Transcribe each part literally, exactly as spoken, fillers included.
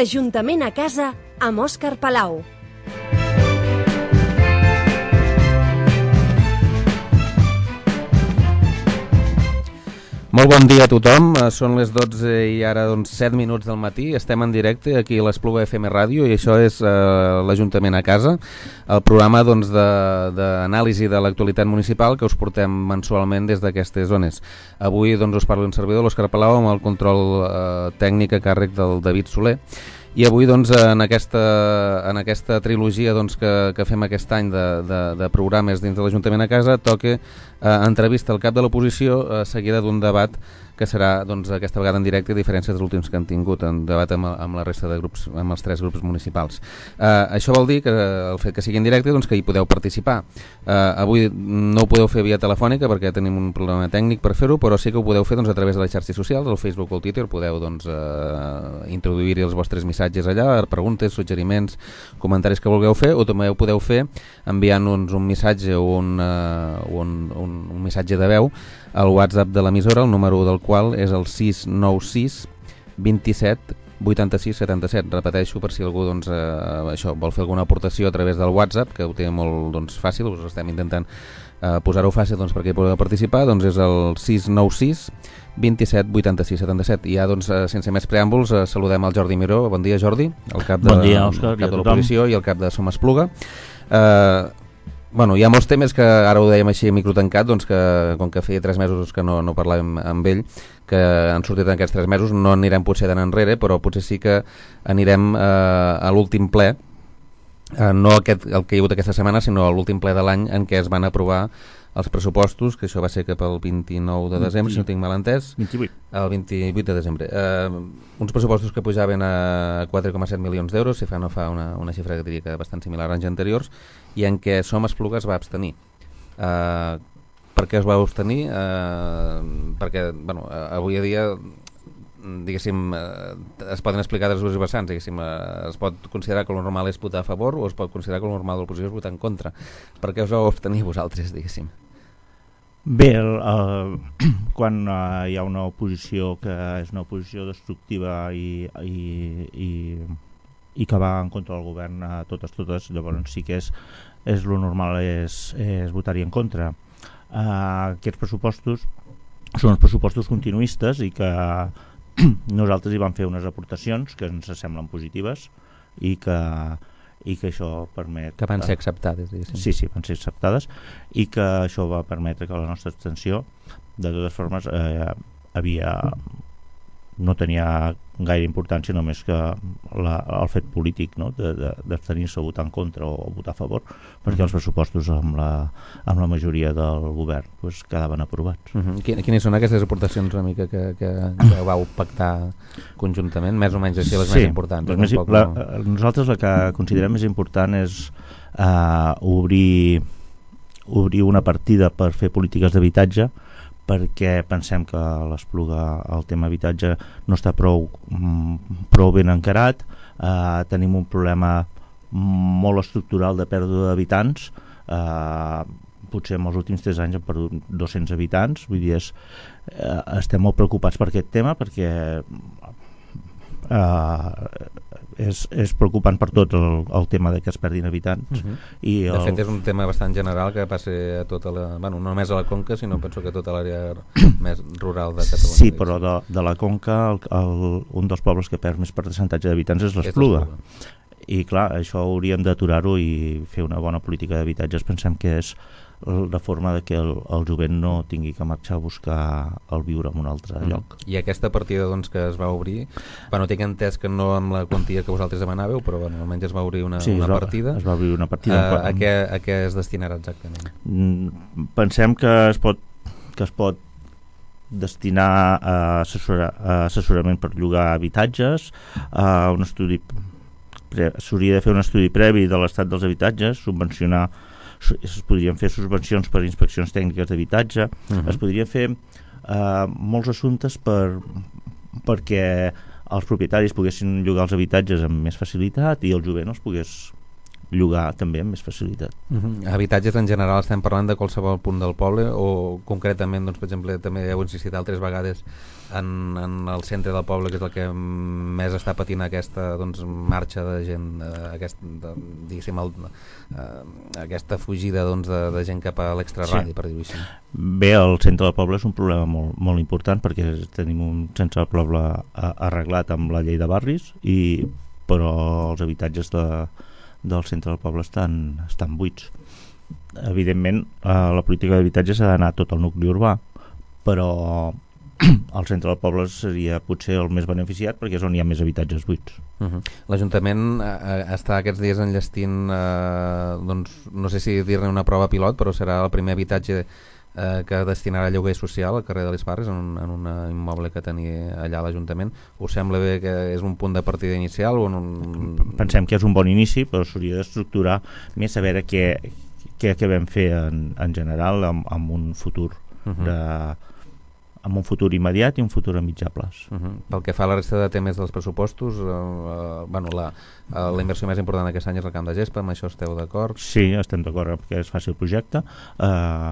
L'Ajuntament a casa amb Òscar Palau. Molt bon dia a tothom, són les dotze i ara doncs set minuts del matí, estem en directe aquí a l'Espluga F M Ràdio i això és eh, l'Ajuntament a casa, el programa doncs, d'anàlisi de, de l'actualitat municipal que us portem mensualment des d'aquestes zones. Avui doncs, us parlo un servidor, l'Òscar Palau, amb el control eh, tècnic a càrrec del David Soler. I avui doncs, en, aquesta, en aquesta trilogia doncs, que, que fem aquest any de, de, de programes dins de l'Ajuntament a casa toca eh, entrevista al cap de l'oposició eh, seguida d'un debat que serà doncs, aquesta vegada en directe, a diferència dels últims que han tingut en debat amb, amb la resta de grups, amb els tres grups municipals. Eh, això vol dir que el fet que sigui en directe doncs, que hi podeu participar. Eh, avui no ho podeu fer via telefònica perquè tenim un problema tècnic per fer-ho, però sí que ho podeu fer doncs, a través de les xarxes socials, el Facebook o el Twitter, podeu doncs, eh, introduir-hi els vostres missatges allà, preguntes, suggeriments, comentaris que vulgueu fer, o també ho podeu fer enviant-nos un missatge o un, uh, un, un, un missatge de veu al WhatsApp de l'emissora, el número del qual és el sis nou sis vint-i-set vuitanta-sis setanta-set. Repeteixo per si algú doncs, eh, això, vol fer alguna aportació a través del WhatsApp, que ho té molt doncs, fàcil, us estem intentant eh, posar-ho fàcil doncs, perquè hi podeu participar, doncs és el sis nou sis vint-i-set vuitanta-sis setanta-set. I ja, doncs, sense més preàmbuls, eh, saludem al Jordi Miró. Bon dia, Jordi, el cap de, bon dia, Òscar, el cap de l'oposició i el cap de Som Espluga. Eh, bueno, hi ha molts temes que ara ho dèiem així a micro tancat, doncs que com que feia tres mesos que no, no parlàvem amb ell, que han sortit en aquests tres mesos, no anirem potser tan enrere, però potser sí que anirem eh, a l'últim ple, eh, no aquest, el que hi ha hagut aquesta setmana, sinó a l'últim ple de l'any en què es van aprovar els pressupostos, que això va ser cap al vint-i-nou de desembre, si no tinc mal entès. vint-i-vuit. El vint-i-vuit de desembre. Eh, uns pressupostos que pujaven a quatre coma set milions d'euros, si fa no fa una, una xifra que diria que bastant similar a anys anteriors, i en què Som Espluga es va abstenir. Eh, per què es va abstenir? Eh, perquè, bueno, avui a dia diguéssim, eh, es poden explicar dels dos vessants, diguéssim, eh, es pot considerar que el normal és votar a favor o es pot considerar que el normal de l'oposició és votar en contra. Per què us vau abstenir vosaltres, diguéssim? Bé, el, el, quan uh, hi ha una oposició que és una oposició destructiva i, i, i, i que va en contra del govern a totes, totes, llavors sí que és, és lo normal és, és votar-hi en contra. Uh, aquests pressupostos són els pressupostos continuistes i que nosaltres hi vam fer unes aportacions que ens semblen positives i que, i que això permet... Que van ser acceptades, diguéssim. Sí, sí, van ser acceptades i que això va permetre que la nostra abstenció, de totes formes, eh, havia... no tenia gaire importància, només que la, el fet polític, no? d'abstenir-se a votar en contra o a votar a favor, perquè els pressupostos amb la, amb la majoria del govern pues, quedaven aprovats. Uh-huh. Quines són aquestes aportacions una mica que, que, que vau pactar conjuntament, més o menys així les sí, més importants? Les més, la, nosaltres la que considerem més important és uh, obrir, obrir una partida per fer polítiques d'habitatge, perquè pensem que a l'Espluga el tema habitatge no està prou, prou ben encarat, eh, tenim un problema molt estructural de pèrdua d'habitants, eh, potser en els últims tres anys hem perdut dos-cents habitants, vull dir, és, eh, estem molt preocupats per aquest tema perquè eh, és, és preocupant per tot el, el tema de que es perdin habitants. Uh-huh. I el... De fet és un tema bastant general que passa a tota la, bueno, no només a la Conca, sinó penso que a tota l'àrea més rural de Catalunya. Sí, però de, de la Conca el, el, un dels pobles que perd més percentatge d'habitants és l'Espluga. I clar, això hauríem d'aturar-ho i fer una bona política d'habitatges. Pensem que és la forma de que el, el jovent no tingui que marxar a buscar el viure en un altre mm. lloc. I aquesta partida doncs, que es va obrir, bueno, tinc entès que no amb la quantia que vosaltres demanàveu, però bueno, almenys es va obrir una, sí, una es va, partida. Es va obrir una partida. Uh, a, què, a què es destinarà exactament? Mm, pensem que es pot, que es pot destinar a, assessora, a assessorament per llogar habitatges, a un estudi s'hauria de fer un estudi previ de l'estat dels habitatges, subvencionar, es podrien fer subvencions per inspeccions tècniques d'habitatge, uh-huh. es podrien fer eh, molts assumptes per, perquè els propietaris poguessin llogar els habitatges amb més facilitat i el jovent els pogués llogar també amb més facilitat. Uh-huh. Habitatges en general estem parlant de qualsevol punt del poble o concretament, doncs, per exemple, també heu insistit altres vegades en, en el centre del poble, que és el que més està patint aquesta, doncs, marxa de gent, eh, aquest, de, diguéssim, el, eh, aquesta fugida, doncs, de, de gent cap a l'extraradi, sí. Per dir-ho així. Bé, el centre del poble és un problema molt, molt important perquè tenim un centre del poble arreglat amb la llei de barris, i, però els habitatges de del centre del poble estan, estan buits. Evidentment, eh, la política d'habitatge s'ha d'anar tot al nucli urbà, però el centre del poble seria potser el més beneficiat perquè és on hi ha més habitatges buits. Uh-huh. L'Ajuntament eh, està aquests dies enllestint, eh, doncs, no sé si dir-ne una prova pilot, però serà el primer habitatge eh, que destinarà a lloguer social al carrer de les Parres, en un, en un immoble que tenia allà l'Ajuntament. Us sembla bé que és un punt de partida inicial? O en un... Pensem que és un bon inici, però s'hauria d'estructurar més a veure què, què, què vam fer en, en general amb, amb un futur uh-huh. de, amb un futur immediat i un futur a mitjà plaç. Uh-huh. Pel que fa a la resta de temes dels pressupostos, eh, eh, bueno, la, eh, la inversió més important d'aquest any és el camp de gespa, amb això esteu d'acord? Sí, estem d'acord que es faci el projecte. Eh,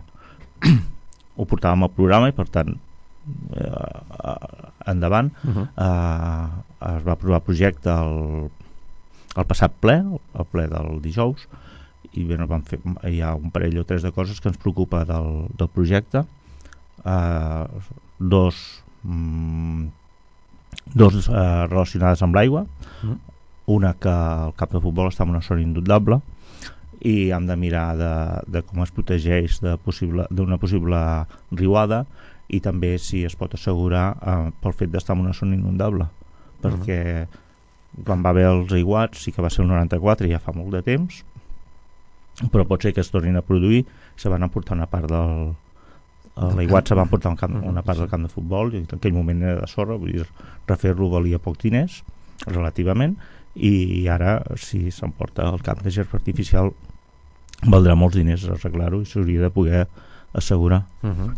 ho portàvem al programa i per tant eh, endavant. Uh-huh. eh, es va aprovar el projecte el, el passat ple, el ple del dijous, i bé, no vam fer, hi ha un parell o tres de coses que ens preocupa del, del projecte. eh, dos mm, dos eh, relacionades amb l'aigua. Uh-huh. Una que el camp de futbol està en una zona inundable i hem de mirar de, de com es protegeix de possible, d'una possible riuada, i també si es pot assegurar eh, pel fet d'estar en una zona inundable, perquè uh-huh. quan va haver els aiguats sí que va ser el noranta-quatre, ja fa molt de temps, però pot ser que es tornin a produir. Se van emportar una part del l'aiguat, se va emportar un camp, una part del camp de futbol, i en aquell moment era de sorra, vull dir, refer-lo valia poc diners relativament, i ara si s'emporta el camp de gespa artificial valdrà molts diners arreglar-ho i s'hauria de poder assegurar. Uh-huh.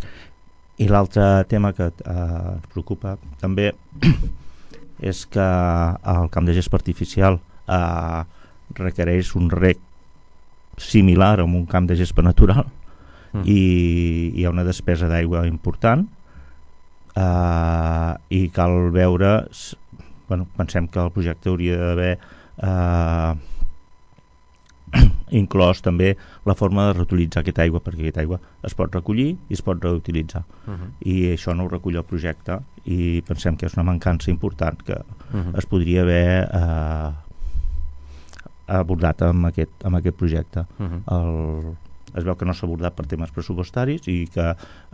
I l'altre tema que eh, ens preocupa també és que el camp de gespa artificial eh, requereix un rec similar a un camp de gespa natural. Uh-huh. i hi ha una despesa d'aigua important, eh, i cal veure, bueno, pensem que el projecte hauria d'haver eh, inclòs també la forma de reutilitzar aquesta aigua, perquè aquesta aigua es pot recollir i es pot reutilitzar. Uh-huh. I això no ho recull el projecte, i pensem que és una mancança important que uh-huh. es podria haver eh, abordat amb aquest, amb aquest projecte. Uh-huh. el, es veu que no s'ha abordat per temes pressupostaris i que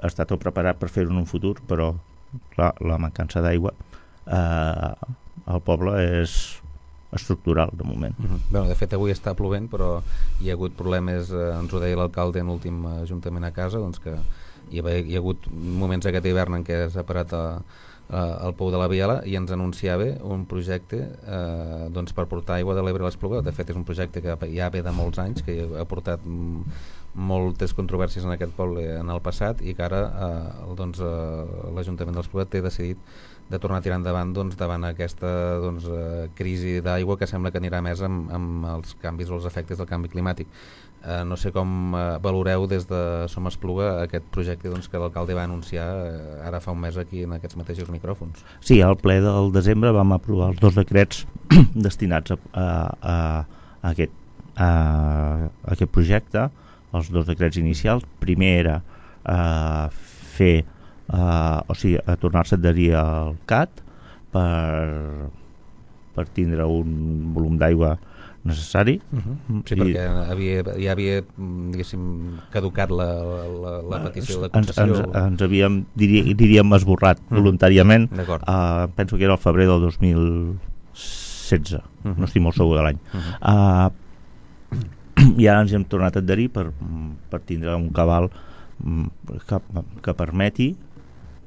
està tot preparat per fer-ho en un futur, però clar, la mancança d'aigua eh, al poble és estructural de moment. Uh-huh. Bueno, de fet avui està plovent, però hi ha hagut problemes, eh, ens ho deia l'alcalde en l'últim ajuntament a casa, doncs que hi ha, hi ha hagut moments aquest hivern en què s'ha parat a, a, al Pou de la Biela, i ens anunciava un projecte eh, doncs per portar aigua de l'Ebre a l'Espluga. De fet és un projecte que ja ve de molts anys, que ha portat moltes controvèrsies en aquest poble en el passat, i que ara eh, doncs, eh, l'Ajuntament d'Espluga té decidit de tornar a tirar endavant, doncs, davant aquesta doncs, eh, crisi d'aigua que sembla que anirà més amb, amb els canvis o els efectes del canvi climàtic. Eh, no sé com eh, valoreu des de Som Espluga aquest projecte, doncs, que l'alcalde va anunciar eh, ara fa un mes aquí en aquests mateixos micròfons. Sí, al ple del desembre vam aprovar els dos decrets destinats a, a, a, a, aquest, a, a aquest projecte, els dos decrets inicials. Primer era eh, fer Uh, o sigui, a tornar-se a adherir al C A T per, per tindre un volum d'aigua necessari. Uh-huh. Sí, I, perquè havia, ja havia, diguéssim, caducat la, la, la petició de concessió. Ens, ens, ens havíem, dirí, diríem, esborrat uh-huh. voluntàriament. Uh, penso que era el febrer del dos mil setze, uh-huh. no estic molt segur de l'any. Uh-huh. Uh, I ara ens hem tornat a adherir per, per tindre un cabal que, que permeti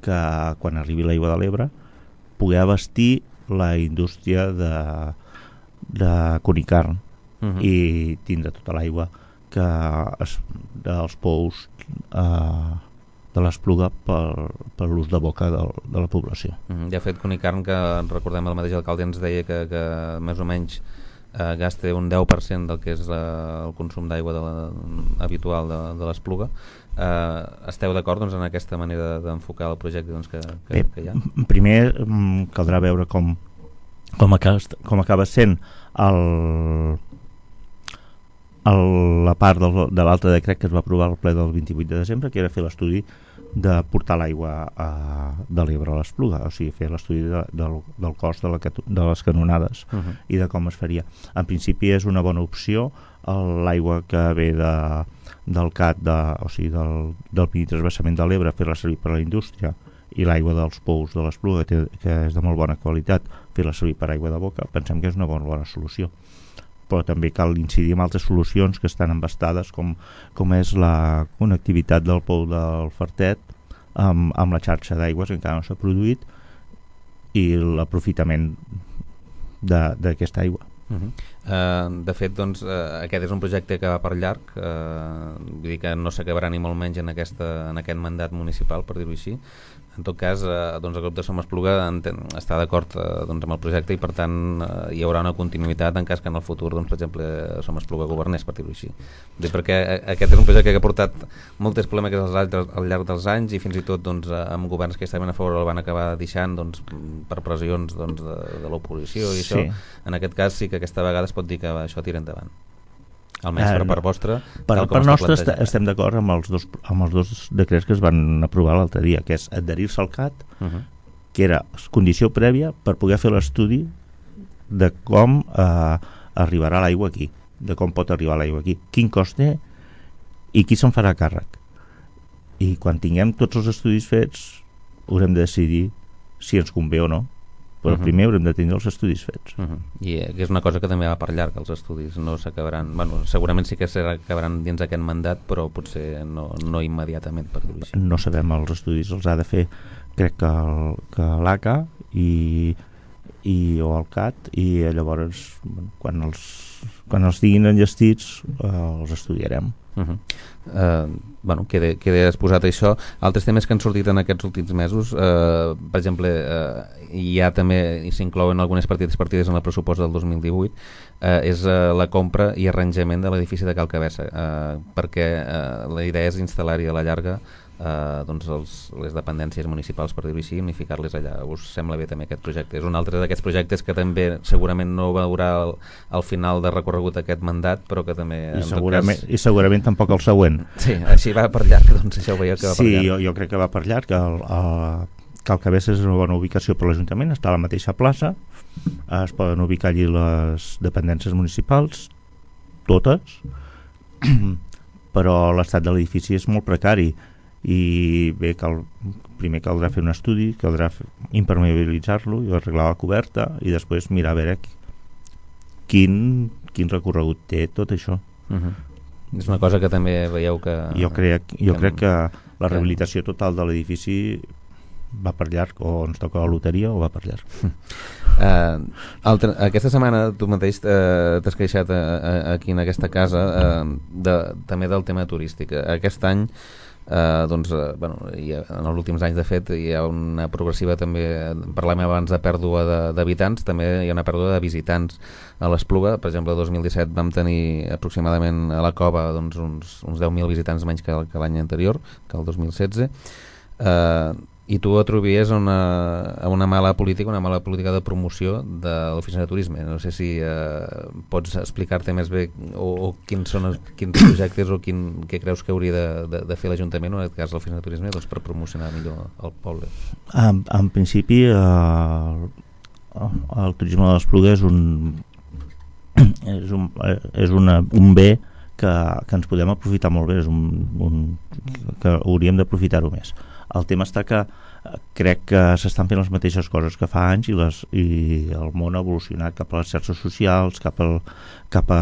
que quan arribi l'aigua de l'Ebre poder abastir la indústria de, de conicarn uh-huh. i tindre tota l'aigua que es, dels pous eh, de l'Espluga per, per l'ús de boca de, de la població. Uh-huh. Ja ha fet conicarn que recordem el mateix alcalde ens deia que, que més o menys eh, gasta un deu per cent del que és eh, el consum d'aigua de la, habitual de, de l'Espluga. Eh, esteu d'acord doncs, en aquesta manera d'enfocar el projecte doncs, que, que, Bé, que hi ha? Primer caldrà veure com, com, acaba, com acaba sent el, el, la part del, de l'altre decret que es va aprovar al ple del vint-i-vuit de desembre, que era fer l'estudi de portar l'aigua a, de l'Ebre a l'Espluga, o sigui, fer l'estudi de, del, del cost de, la, de les canonades uh -huh. i de com es faria. En principi és una bona opció l'aigua que ve de, del C A T, de, o sigui, del, del primer transvasament de l'Ebre, fer-la servir per a la indústria, i l'aigua dels pous de l'Espluga, que, que és de molt bona qualitat, fer-la servir per aigua de boca. Pensem que és una bona, bona solució. Però també cal incidir en altres solucions que estan embastades, com, com és la connectivitat del pou del Fartet amb, amb la xarxa d'aigües que encara no s'ha produït, i l'aprofitament d'aquesta aigua. Uh -huh. uh, de fet, doncs, uh, aquest és un projecte que va per llarg, uh, vull dir que no s'acabarà ni molt menys en, aquesta, en aquest mandat municipal, per dir-ho així. En tot cas, eh, doncs el grup de Som Espluga està d'acord eh, doncs, amb el projecte, i per tant eh, hi haurà una continuïtat en cas que en el futur, doncs, per exemple, Som Espluga governés, per dir-ho així. Dir, perquè aquest és un projecte que ha portat moltes polèmiques al, al llarg dels anys, i fins i tot doncs, amb governs que estaven a favor el van acabar deixant doncs, per pressions doncs, de, de l'oposició i sí. això. En aquest cas sí que aquesta vegada es pot dir que això tira endavant. Almenys per part vostra. Per part nostra est estem d'acord amb, els dos, amb els dos decrets que es van aprovar l'altre dia, que és adherir-se al C A T, uh -huh. que era condició prèvia per poder fer l'estudi de com eh, arribarà l'aigua aquí, de com pot arribar l'aigua aquí, quin cost té i qui se'n farà càrrec. I quan tinguem tots els estudis fets haurem de decidir si ens convé o no, però uh -huh. primer haurem de tenir els estudis fets. Uh -huh. I eh, que és una cosa que també va per llarg, els estudis no s'acabaran, bueno, segurament sí que s'acabaran dins d'aquest mandat, però potser no, no immediatament, per dir-ho així. No sabem, els estudis els ha de fer crec que, el, que l'A C A i, i, o el C A T, i llavors bueno, quan els quan els diguin enllestits eh, els estudiarem. Uh -huh. uh, bueno, queda, queda exposat això. Altres temes que han sortit en aquests últims mesos, uh, per exemple, uh, hi ha també, i s'inclouen algunes partides partides en el pressupost del dos mil divuit, uh, és uh, la compra i arranjament de l'edifici de Cal Cabessa, uh, perquè uh, la idea és instal·lar-hi a la llarga Uh, doncs els, les dependències municipals, per dir-ho així, i unificar-les allà. Us sembla bé també aquest projecte? És un altre d'aquests projectes que també segurament no veurà al, al final de recorregut aquest mandat, però que també... I segurament, cas... i segurament tampoc el següent. Sí, així va per llarg, doncs això ho veieu que va sí, per llarg. Sí, jo, jo crec que va per llarg. El, el, Cal Cabessa és una bona ubicació per l'Ajuntament, està a la mateixa plaça, es poden ubicar allí les dependències municipals, totes, però l'estat de l'edifici és molt precari, i bé, cal, primer caldrà fer un estudi, caldrà impermeabilitzar-lo i arreglar la coberta, i després mirar a veure quin, quin recorregut té tot això. Uh-huh. És una cosa que també veieu que... Jo crec, jo que, crec que la rehabilitació total de l'edifici va per llarg, o ens toca la loteria o va per llarg. Uh, altra, aquesta setmana tu mateix uh, t'has queixat a, a, aquí en aquesta casa uh, de, també del tema turístic. Aquest any Uh, doncs, uh, bueno, ha, en els últims anys de fet hi ha una progressiva també, parlem abans de pèrdua d'habitants, també hi ha una pèrdua de visitants a l'Espluga. Per exemple, el dos mil disset vam tenir aproximadament a la cova doncs, uns, uns deu mil visitants menys que, que l'any anterior, que el dos mil setze. uh, i tu ho atribuïes a una, a una mala política, una mala política de promoció de l'oficina de turisme. No sé si eh, pots explicar-te més bé o, o quins són els, quins projectes o quin, què creus que hauria de, de, de fer l'Ajuntament, o en aquest cas l'oficina de turisme, doncs, per promocionar millor el poble. En, en principi eh, el turisme de l'Espluga és un és un, és una, un bé que, que ens podem aprofitar molt bé, és un, un, que hauríem d'aprofitar-ho més. El tema està que crec que s'estan fent les mateixes coses que fa anys, i, les, i el món ha evolucionat cap a les xarxes socials, cap, al, cap a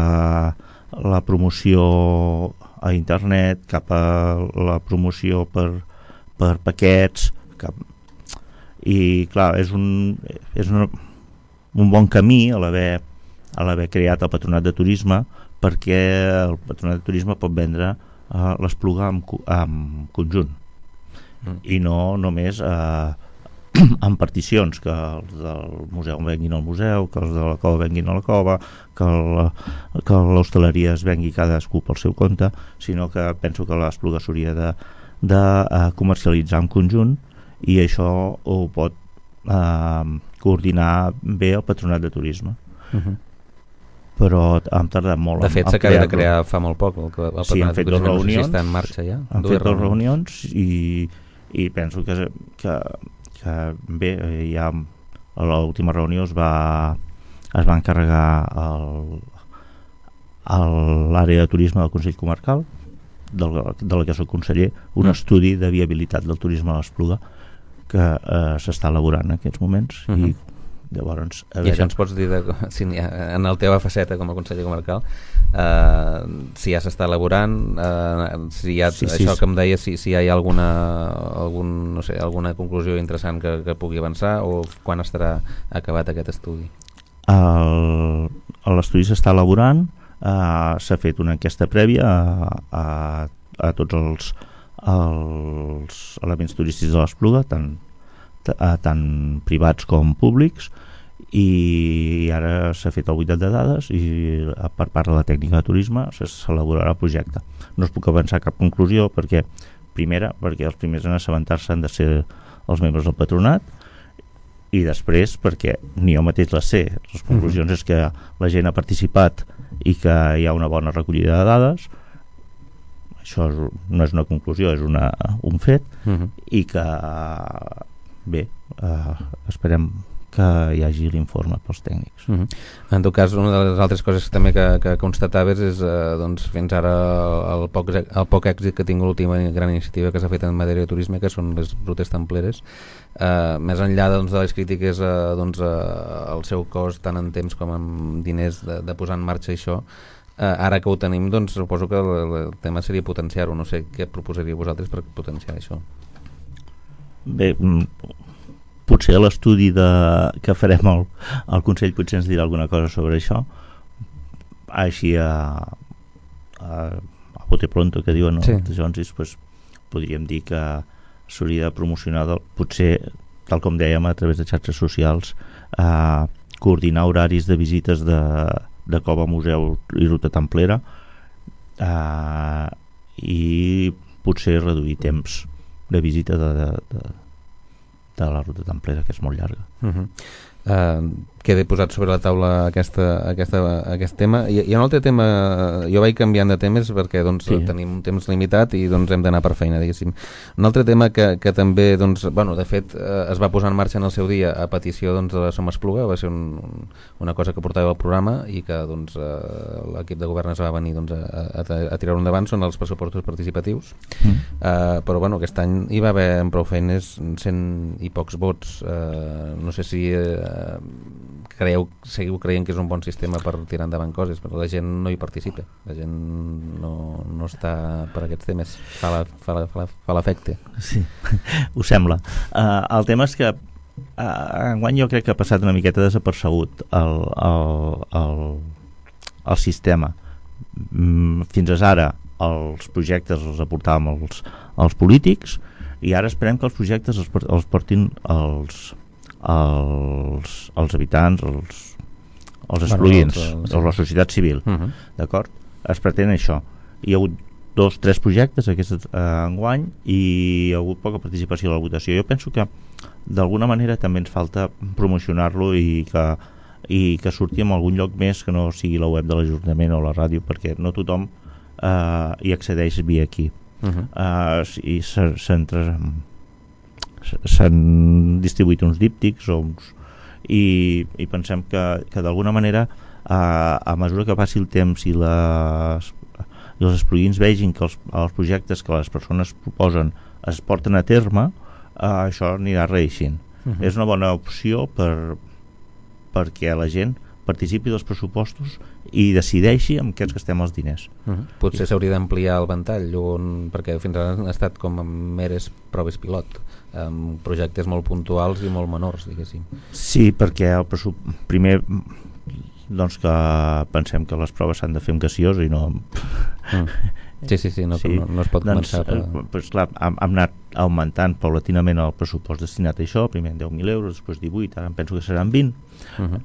la promoció a internet, cap a la promoció per, per paquets, cap... i clar, és un, és un, un bon camí a l'haver a l'haver creat el Patronat de Turisme, perquè el Patronat de Turisme pot vendre uh, l'Espluga en, en conjunt, mm. i no només uh, amb particions, que els del museu venguin al museu, que els de la cova venguin a la cova, que l'hostaleria es vengui cadascú pel seu compte, sinó que penso que l'Espluga s'hauria de, de uh, comercialitzar en conjunt, i això ho pot uh, coordinar bé el Patronat de Turisme. Uh-huh. Però hem tardat molt. De fet, s'acaba de crear fa molt poc el, el sí, han fet dues reunions, no sé si està en marxa ja. Han fet dues reunions i, i penso que, que, que bé, ja a l'última reunió es va es va encarregar l'àrea de turisme del Consell Comarcal, del, de la que soc conseller, un mm. estudi de viabilitat del turisme a l'Espluga que eh, s'està elaborant en aquests moments. Mm-hmm. I llavors, a I veure... això ens pots dir de, si ha, en la teva faceta com a conseller comarcal, eh, si ja s'està elaborant, eh, si hi ha sí, això sí, que em deies, si, si hi ha alguna algun, no sé, alguna conclusió interessant que, que pugui avançar, o quan estarà acabat aquest estudi? L'estudi s'està elaborant, eh, s'ha fet una enquesta prèvia a, a, a tots els, els elements turístics de l'Espluga, tant tant privats com públics, i ara s'ha fet el buidat de dades i per part de la tècnica de turisme s'elaborarà el projecte. No es puc avançar cap conclusió perquè, primera, perquè els primers en assabentar-se han de ser els membres del patronat, i després perquè ni jo mateix les sé. Les conclusions mm-hmm. és que la gent ha participat i que hi ha una bona recollida de dades. Això és, no és una conclusió, és una, un fet, mm-hmm. i que bé, eh, esperem que hi hagi l'informe pels tècnics. Uh-huh. En tot cas, una de les altres coses que també que, que constataves és eh, doncs, fins ara el poc, el poc èxit que ha tingut l'última gran iniciativa que s'ha fet en matèria de turisme, que són les rutes templeres. Eh, més enllà doncs, de les crítiques eh, doncs, eh, al seu cost tant en temps com en diners de, de posar en marxa això, eh, ara que ho tenim, doncs suposo que el, el tema seria potenciar-ho. No sé què proposaríeu vosaltres per potenciar això. Bé, potser a l'estudi de, que farem al, al Consell potser ens dirà alguna cosa sobre això, així a, a, a bote pronto, que diuen, no? Sí. Doncs, pues, podríem dir que s'hauria de promocionar del, potser, tal com dèiem, a través de xarxes socials, a coordinar horaris de visites de, de cova, museu i ruta templera, a, i potser reduir temps de visita de, de, de, de la ruta templera, que és molt llarga. Uh-huh. Uh, queda posat sobre la taula aquesta, aquesta, aquest tema. I, i un altre tema, jo vaig canviant de temes perquè doncs, sí. tenim un temps limitat i doncs, hem d'anar per feina, diguéssim. Un altre tema que, que també, doncs, bueno, de fet, eh, es va posar en marxa en el seu dia a petició doncs, de la Som Espluga, va ser un, una cosa que portava al programa i que doncs, eh, l'equip de govern es va venir doncs, a, a, a tirar-ho endavant, són els pressupostos participatius. Mm. Eh, però bueno, aquest any hi va haver en prou feines cent i pocs vots. Eh, no sé si eh, creieu, seguiu creient que és un bon sistema per tirar endavant coses, però la gent no hi participa, la gent no, no està per aquests temes, fa, la, fa, la, fa, la, fa l'efecte. Sí, ho sembla. Uh, el tema és que uh, enguany jo crec que ha passat una miqueta desapercebut el, el, el, el sistema. Mm, fins ara els projectes els aportàvem els, els polítics, i ara esperem que els projectes els, els portin els Els, els habitants, els, els espluguins, bueno, els, els, la societat civil. Uh-huh. D'acord? Es pretén això. Hi ha hagut dos, tres projectes aquest eh, enguany i hi ha hagut poca participació a la votació. Jo penso que d'alguna manera també ens falta promocionar-lo i que, i que surti en algun lloc més que no sigui la web de l'Ajuntament o la ràdio, perquè no tothom eh, hi accedeix via aquí. Uh-huh. eh, i s'entra s'han distribuït uns díptics o uns, i, i pensem que, que d'alguna manera a, a mesura que passi el temps i, les, i els espluguins vegin que els, els projectes que les persones proposen es porten a terme, eh, això anirà reeixint. Uh-huh. És una bona opció per, perquè la gent participi dels pressupostos i decideixi amb què ens gastem els diners. Uh-huh. Potser s'hauria d'ampliar el ventall, on, perquè fins ara han estat com meres proves pilot, amb projectes molt puntuals i molt menors, diguéssim. Sí, perquè el pressup... primer doncs que pensem que les proves s'han de fer amb gaseosa i no amb, mm. Sí, sí, sí, no, sí. no, no es pot doncs, començar. Per... Eh, pues, clar, hem, hem anat augmentant paulatinament el pressupost destinat a això, primer deu mil euros, després divuit, ara em penso que seran vint. Uh-huh.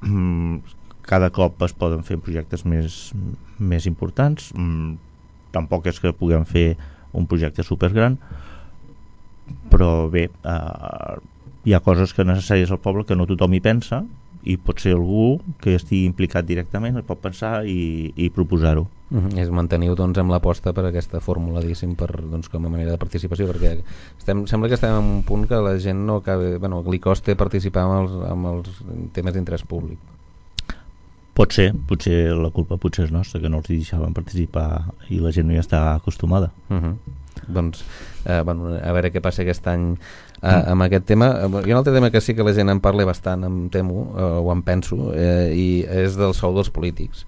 Mm, cada cop es poden fer projectes més, més importants. Mm, tampoc és que puguem fer un projecte supergran, però bé, eh, hi ha coses que necessàries al poble que no tothom hi pensa, i pot ser algú que estigui implicat directament, el pot pensar i, i proposar-ho. Uh-huh. És mantenir doncs, amb l'aposta per aquesta fórmula, diguéssim, per, doncs, com a manera de participació, perquè estem, sembla que estem en un punt que la gent no acabi, bueno, li costa participar amb els, amb els temes d'interès públic. Pot ser, potser la culpa potser és nostra, que no els deixaven participar i la gent no hi està acostumada. Uh-huh. Doncs, eh, bueno, a veure què passa aquest any eh, amb aquest tema. Hi ha un altre tema que sí que la gent en parla bastant, em temo, eh, o em penso, eh, i és del sou dels polítics.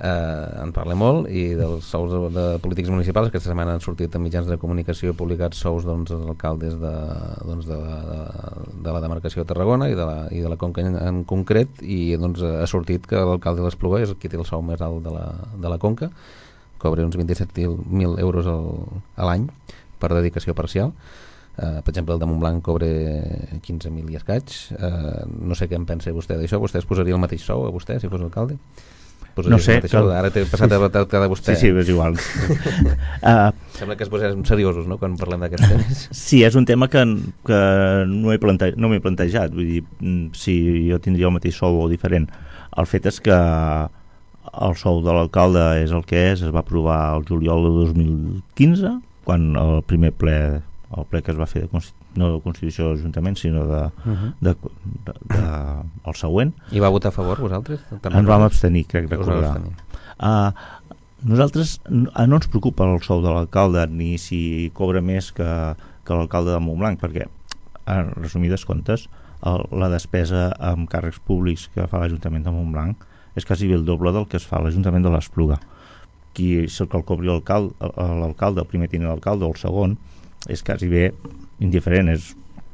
Eh, en parla molt, i dels sous de, de polítics municipals. Aquesta setmana han sortit en mitjans de comunicació publicats sous doncs, dels alcaldes de, doncs, de, de, de la demarcació de Tarragona i de la, i de la Conca en, en concret, i doncs, ha sortit que l'alcalde de l'Espluga és qui té el sou més alt de la, de la Conca, cobra uns vint-i-set mil euros al, a l'any per dedicació parcial. Uh, per exemple, el de Montblanc cobra quinze mil i escaig. Uh, no sé què en pensa vostè d'això. Vostè es posaria el mateix sou a vostè si fos alcalde? No sé, cal... ara t'he passat a la de vostè. Sí, sí, és igual. uh, Sembla que es posem seriosos, no?, quan parlem d'aquests temes. Sí, és un tema que, que no m'he plante... no plantejat. Vull dir, si jo tindria el mateix sou o diferent. El fet és que el sou de l'alcalde és el que és, es va aprovar el juliol de dos mil quinze, quan el primer ple, el ple que es va fer de Constitu... no de Constitució de l'Ajuntament, sinó de, uh-huh. de, de, de, el següent. I va votar a favor, vosaltres? També ens vam abstenir, crec recordar. Uh, nosaltres no ens preocupa el sou de l'alcalde, ni si cobra més que, que l'alcalde de Montblanc, perquè, en resumides comptes, el, la despesa amb càrrecs públics que fa l'Ajuntament de Montblanc és quasi bé el doble del que es fa a l'Ajuntament de l'Espluga. Qui és el que el cobri l'alcalde, l'alcalde, el primer tinent d'alcalde o el segon, és quasi bé indiferent. És...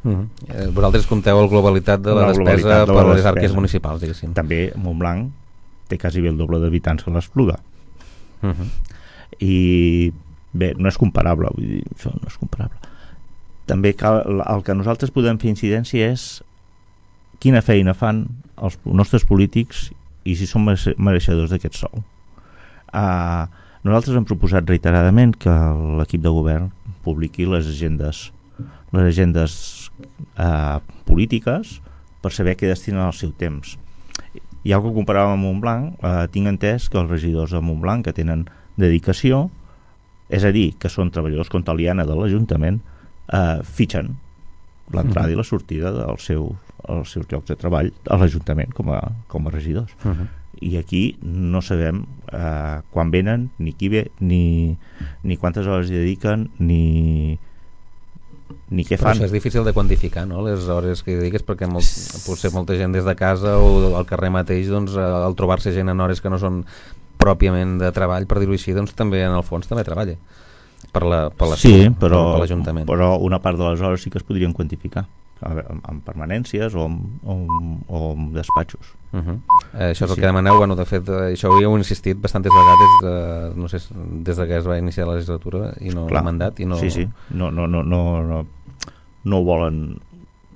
Uh-huh. eh, vosaltres compteu la globalitat de la, la despesa de la per despesa. Les arques municipals, diguéssim. També Montblanc té quasi bé el doble d'habitants que l'Espluga. Uh-huh. I bé, no és comparable, vull dir, això no és comparable. També cal, el que nosaltres podem fer incidència és quina feina fan els nostres polítics i si són mereixedors d'aquest sou. Uh, nosaltres hem proposat reiteradament que l'equip de govern publiqui les agendes les agendes uh, polítiques per saber què destinen el seu temps. I algo que comparàvem amb Montblanc, uh, tinc entès que els regidors de Montblanc que tenen dedicació, és a dir, que són treballadors com Taliana de l'Ajuntament, uh, fitxen l'entrada uh-huh. i la sortida dels seu, els seus llocs de treball a l'Ajuntament com a, com a regidors. Uh-huh. I aquí no sabem eh, quan venen, ni qui ve, ni, ni quantes hores hi dediquen, ni, ni què fan. Però això és difícil de quantificar, no?, les hores que hi dediques, perquè molt, potser molta gent des de casa o al carrer mateix, doncs, al trobar-se gent en hores que no són pròpiament de treball, per dir-ho així, doncs també en el fons també treballa per la, per la sí, però, per l'Ajuntament. Però una part de les hores sí que es podrien quantificar amb permanències o amb, o amb, o amb despatxos. Uh-huh. eh, això és el sí. que demaneu. Bueno, de fet, eh, això ho heu insistit bastantes vegades de, no sé, des de que es va iniciar la legislatura i no el mandat i no... Sí, sí, no, no, no, no, no, no ho volen.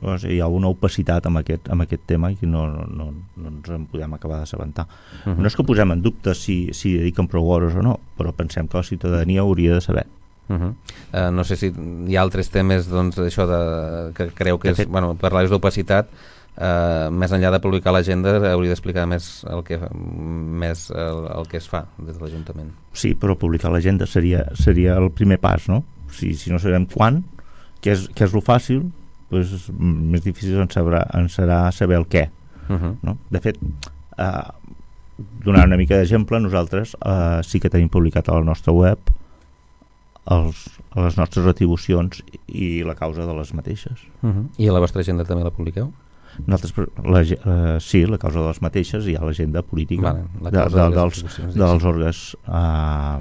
O sigui, hi ha una opacitat amb aquest, amb aquest tema i no, no, no, no ens en podem acabar d'assabentar. Uh-huh. No és que posem en dubte si, si dediquen prou hores o no, però pensem que la ciutadania hauria de saber. Uh-huh. Uh, no sé si hi ha altres temes, doncs, això de, que creu que és, bueno, parlar d'opacitat, uh, més enllà de publicar l'agenda hauria d'explicar més el que més el, el que es fa des de l'Ajuntament. Sí, però publicar l'agenda seria, seria el primer pas, no? Si, si no sabem quan, que és, que és lo fàcil, doncs més difícil en, sabrà, en serà saber el què. Uh-huh. No? De fet, uh, donant una mica d'exemple, nosaltres uh, sí que tenim publicat a la nostra web Els, les nostres retribucions i la causa de les mateixes. Uh-huh. I a la vostra agenda també la publiqueu? Nosaltres, la, uh, sí, la causa de les mateixes i hi ha l'agenda política vale, la de, de, dels, dels òrgans uh,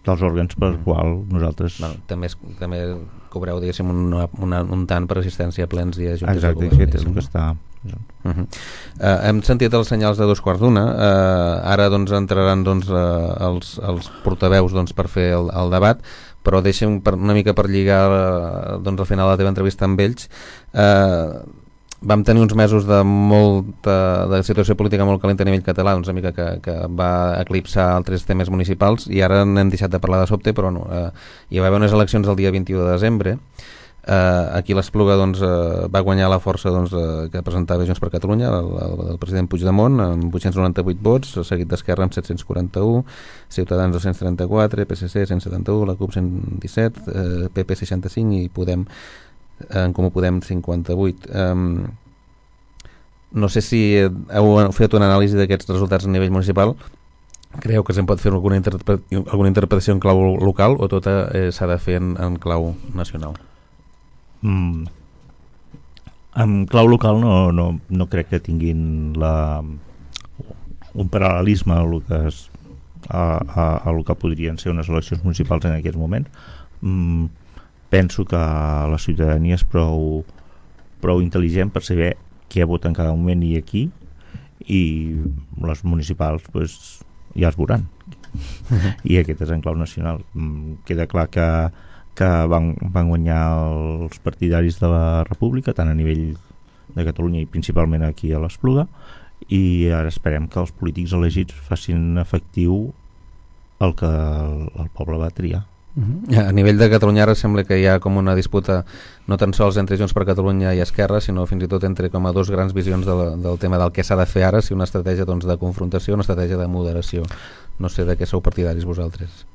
dels òrgans per uh-huh. qual nosaltres... Bueno, també, es, també cobreu, diguéssim, un, una, un tant per assistència a plens i a juntes Exacte, de govern. Exacte, és el que està... Uh -huh. uh, hem sentit els senyals de dos quarts d'una. Uh, ara doncs entraran doncs, uh, els, els portaveus doncs, per fer el, el debat, però deixem per, una mica per lligar uh, doncs, al final de la teva entrevista amb ells. Uh, vam tenir uns mesos de molta de situació política molt calenta a nivell català, doncs, una mica que, que va eclipsar altres temes municipals, i ara n'hem deixat de parlar de sobte, però no, uh, hi va haver unes eleccions el dia vint-i-u de desembre. Uh, aquí l'Espluga doncs, uh, va guanyar la força doncs, uh, que presentava Junts per Catalunya, el, el, el president Puigdemont, amb vuit-cents noranta-vuit vots, seguit d'Esquerra amb set-cents quaranta-u, Ciutadans dos-cents trenta-quatre, P S C cent setanta-u, la CUP cent disset, uh, P P seixanta-cinc i Podem, uh, en Comú Podem cinquanta-vuit. Um, no sé si heu fet una anàlisi d'aquests resultats a nivell municipal. Creu que se'n pot fer alguna, interpre alguna interpretació en clau local o tota eh, s'ha de fer en, en clau nacional? Mm. En clau local no, no, no crec que tinguin la, un paral·lelisme a el que, es, a, a, a el que podrien ser unes eleccions municipals en aquest moment. Mm. Penso que la ciutadania és prou, prou intel·ligent per saber què vota en cada moment i aquí, i les municipals pues, ja es veuran. I aquest és en clau nacional. Mm. Queda clar que que van, van guanyar els partidaris de la República, tant a nivell de Catalunya i principalment aquí a l'Espluga, i ara esperem que els polítics elegits facin efectiu el que el, el poble va triar. Uh-huh. A nivell de Catalunya ara sembla que hi ha com una disputa no tan sols entre Junts per Catalunya i Esquerra, sinó fins i tot entre com a dos grans visions de la, del tema del què s'ha de fer ara, si una estratègia doncs, de confrontació o una estratègia de moderació. No sé de què sou partidaris vosaltres.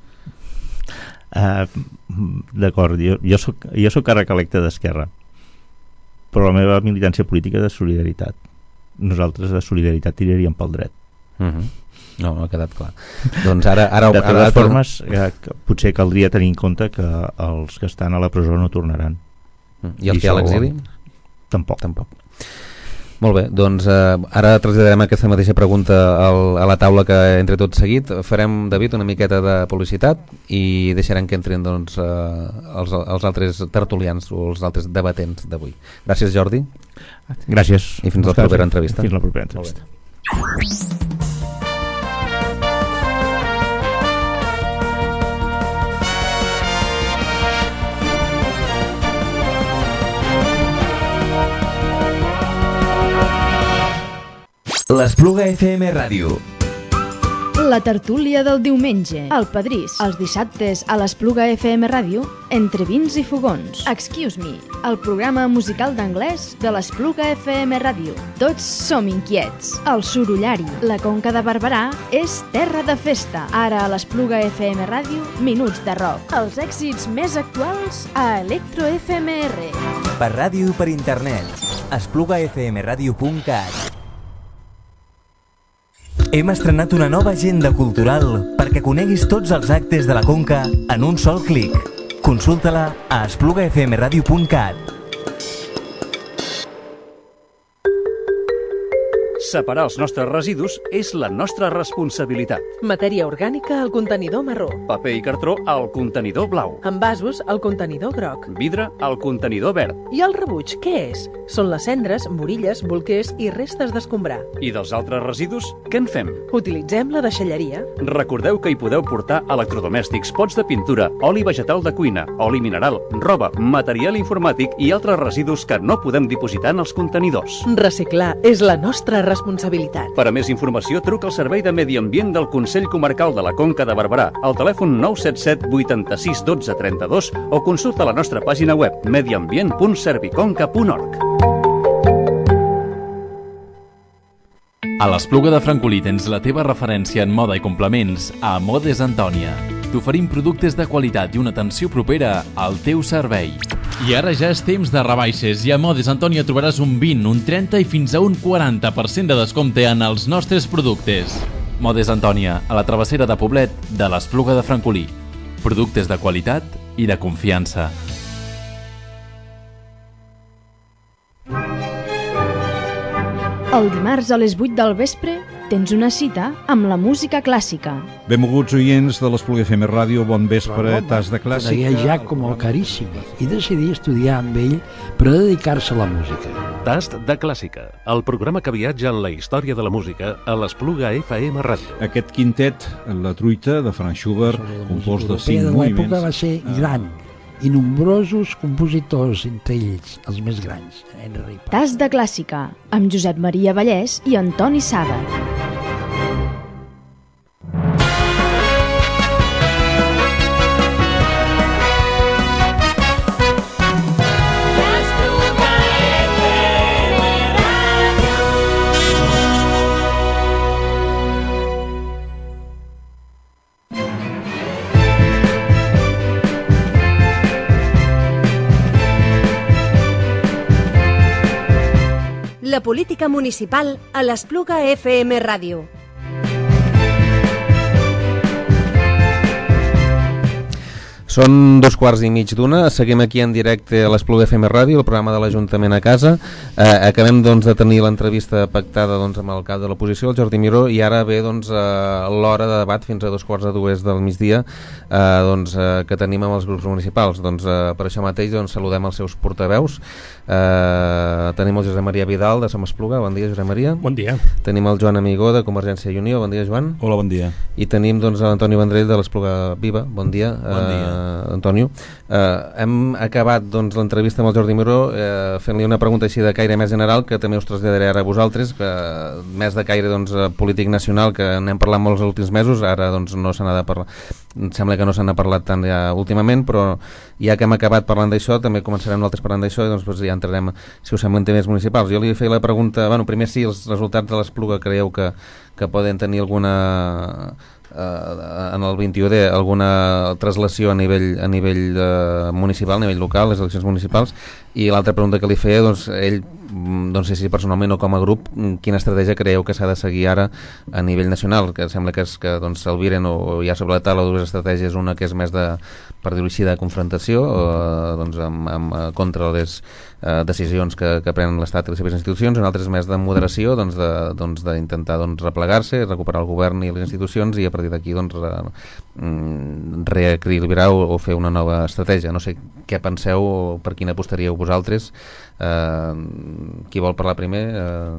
Uh, d'acord, jo, jo, soc, jo soc càrrec electe d'Esquerra, però la meva militància política és de Solidaritat. Nosaltres de Solidaritat tiraríem pel dret. Uh-huh. No, no ha quedat clar. Doncs ara, ara, de totes ara, formes eh, potser caldria tenir en compte que els que estan a la presó no tornaran. Uh-huh. I els I que hi ha a l'exili? Tampoc. Tampoc. Molt bé, doncs eh, ara traslladarem aquesta mateixa pregunta al, a la taula que entre tot seguit. Farem, David, una miqueta de publicitat i deixarem que entrin doncs, eh, els, els altres tertulians o els altres debatents d'avui. Gràcies, Jordi. Gràcies. I fins la propera entrevista. Fins la propera entrevista. L'Espluga F M Ràdio. La tertúlia del diumenge, el Pedrís, els dissabtes a l'Espluga F M Ràdio, entre vins i fogons. Excuse me, el programa musical d'anglès de l'Espluga F M Ràdio. Tots som inquiets. El Sorollari, la Conca de Barberà, és terra de festa. Ara a l'Espluga F M Ràdio, minuts de rock. Els èxits més actuals a Electro F M R. Per ràdio i per internet, espluga f m radio punt cat. Hem estrenat una nova agenda cultural perquè coneguis tots els actes de la Conca en un sol clic. Consulta-la a espluga f m radio punt cat. Separar els nostres residus és la nostra responsabilitat. Matèria orgànica al contenidor marró. Paper i cartró al contenidor blau. Envasos al contenidor groc. Vidre al contenidor verd. I el rebuig, què és? Són les cendres, morilles, bolquers i restes d'escombrar. I dels altres residus, què en fem? Utilitzem la deixalleria. Recordeu que hi podeu portar electrodomèstics, pots de pintura, oli vegetal de cuina, oli mineral, roba, material informàtic i altres residus que no podem dipositar en els contenidors. Reciclar és la nostra responsabilitat. Per a més informació, truca al Servei de Medi Ambient del Consell Comarcal de la Conca de Barberà al telèfon nou set set vuitanta-sis dotze trenta-dos o consulta la nostra pàgina web mediambient punt serviconca punt org. A l'Espluga de Francolí tens la teva referència en moda i complements a Modes Antònia. T'oferim productes de qualitat i una atenció propera al teu servei. I ara ja és temps de rebaixes i a Modes Antònia trobaràs un vint, un trenta i fins a un quaranta per cent de descompte en els nostres productes. Modes Antònia, a la travessera de Poblet de l'Espluga de Francolí. Productes de qualitat i de confiança. El dimarts a les vuit del vespre, tens una cita amb la música clàssica. Benvolguts oients de l'Espluga F M Ràdio, bon vespre, Tas de Clàssica. Conegué Giacomo Carissimi i decidí estudiar amb ell per dedicar-se a la música. Tast de Clàssica, el programa que viatja en la història de la música a l'Espluga F M Ràdio. Aquest quintet, La truita, de Franz Schubert, compost de cinc moviments. L'època va ser gran i nombrosos compositors, entre ells els més grans. Henry Paz. Tas de Clàssica, amb Josep Maria Vallès i Antoni Sada. La política municipal a l'Espluga F M Ràdio. Són dos quarts i mig d'una, seguim aquí en directe a l'Espluga F M Ràdio, el programa de l'Ajuntament a casa. Eh, acabem doncs, de tenir l'entrevista pactada doncs, amb el cap de l'oposició, el Jordi Miró, i ara ve doncs, eh, l'hora de debat fins a dos quarts de dues del migdia eh, doncs, eh, que tenim amb els grups municipals. Doncs, eh, per això mateix doncs, saludem els seus portaveus. Eh, tenim el Josep Maria Vidal de Som Espluga, bon dia Josep Maria. Bon dia. Tenim el Joan Amigó de Convergència i Unió, bon dia Joan. Hola, bon dia. I tenim doncs, l'Antoni Vendrell de l'Espluga Viva, bon dia. Bon dia. Eh, Antonio, eh, hem acabat doncs, l'entrevista amb el Jordi Miró eh, fent-li una pregunta així de caire més general que també us traslladaré ara a vosaltres, que més de caire doncs, polític nacional, que n'hem parlat molts els últims mesos, ara doncs, no se n'ha de parlar, em sembla que no se n'ha parlat tant ja últimament, però ja que hem acabat parlant d'això, també començarem nosaltres parlant d'això i doncs, doncs, ja entrarem, si us semblen, temes municipals. Jo li feia la pregunta, bueno, primer si els resultats de l'Espluga creieu que, que poden tenir alguna en el vint-i-u D alguna traslació a nivell, a nivell uh, municipal, a nivell local, les eleccions municipals, i l'altra pregunta que li feia, doncs, ell, no sé si personalment o com a grup, quina estratègia creieu que s'ha de seguir ara a nivell nacional, que sembla que, és, que doncs, s'albiren o, o hi ha sobre la taula dues estratègies, una que és més de, per dir-ho així, de confrontació o, doncs, amb, amb, contra les uh, decisions que, que prenen l'Estat i les seves institucions, una altra és més de moderació, doncs, de, doncs, d'intentar doncs, replegar-se, recuperar el govern i les institucions, i a partir d'aquí doncs, re, reequilibrar o, o fer una nova estratègia. No sé què penseu o per quina apostaríeu vosaltres. Eh, qui vol parlar primer? Eh,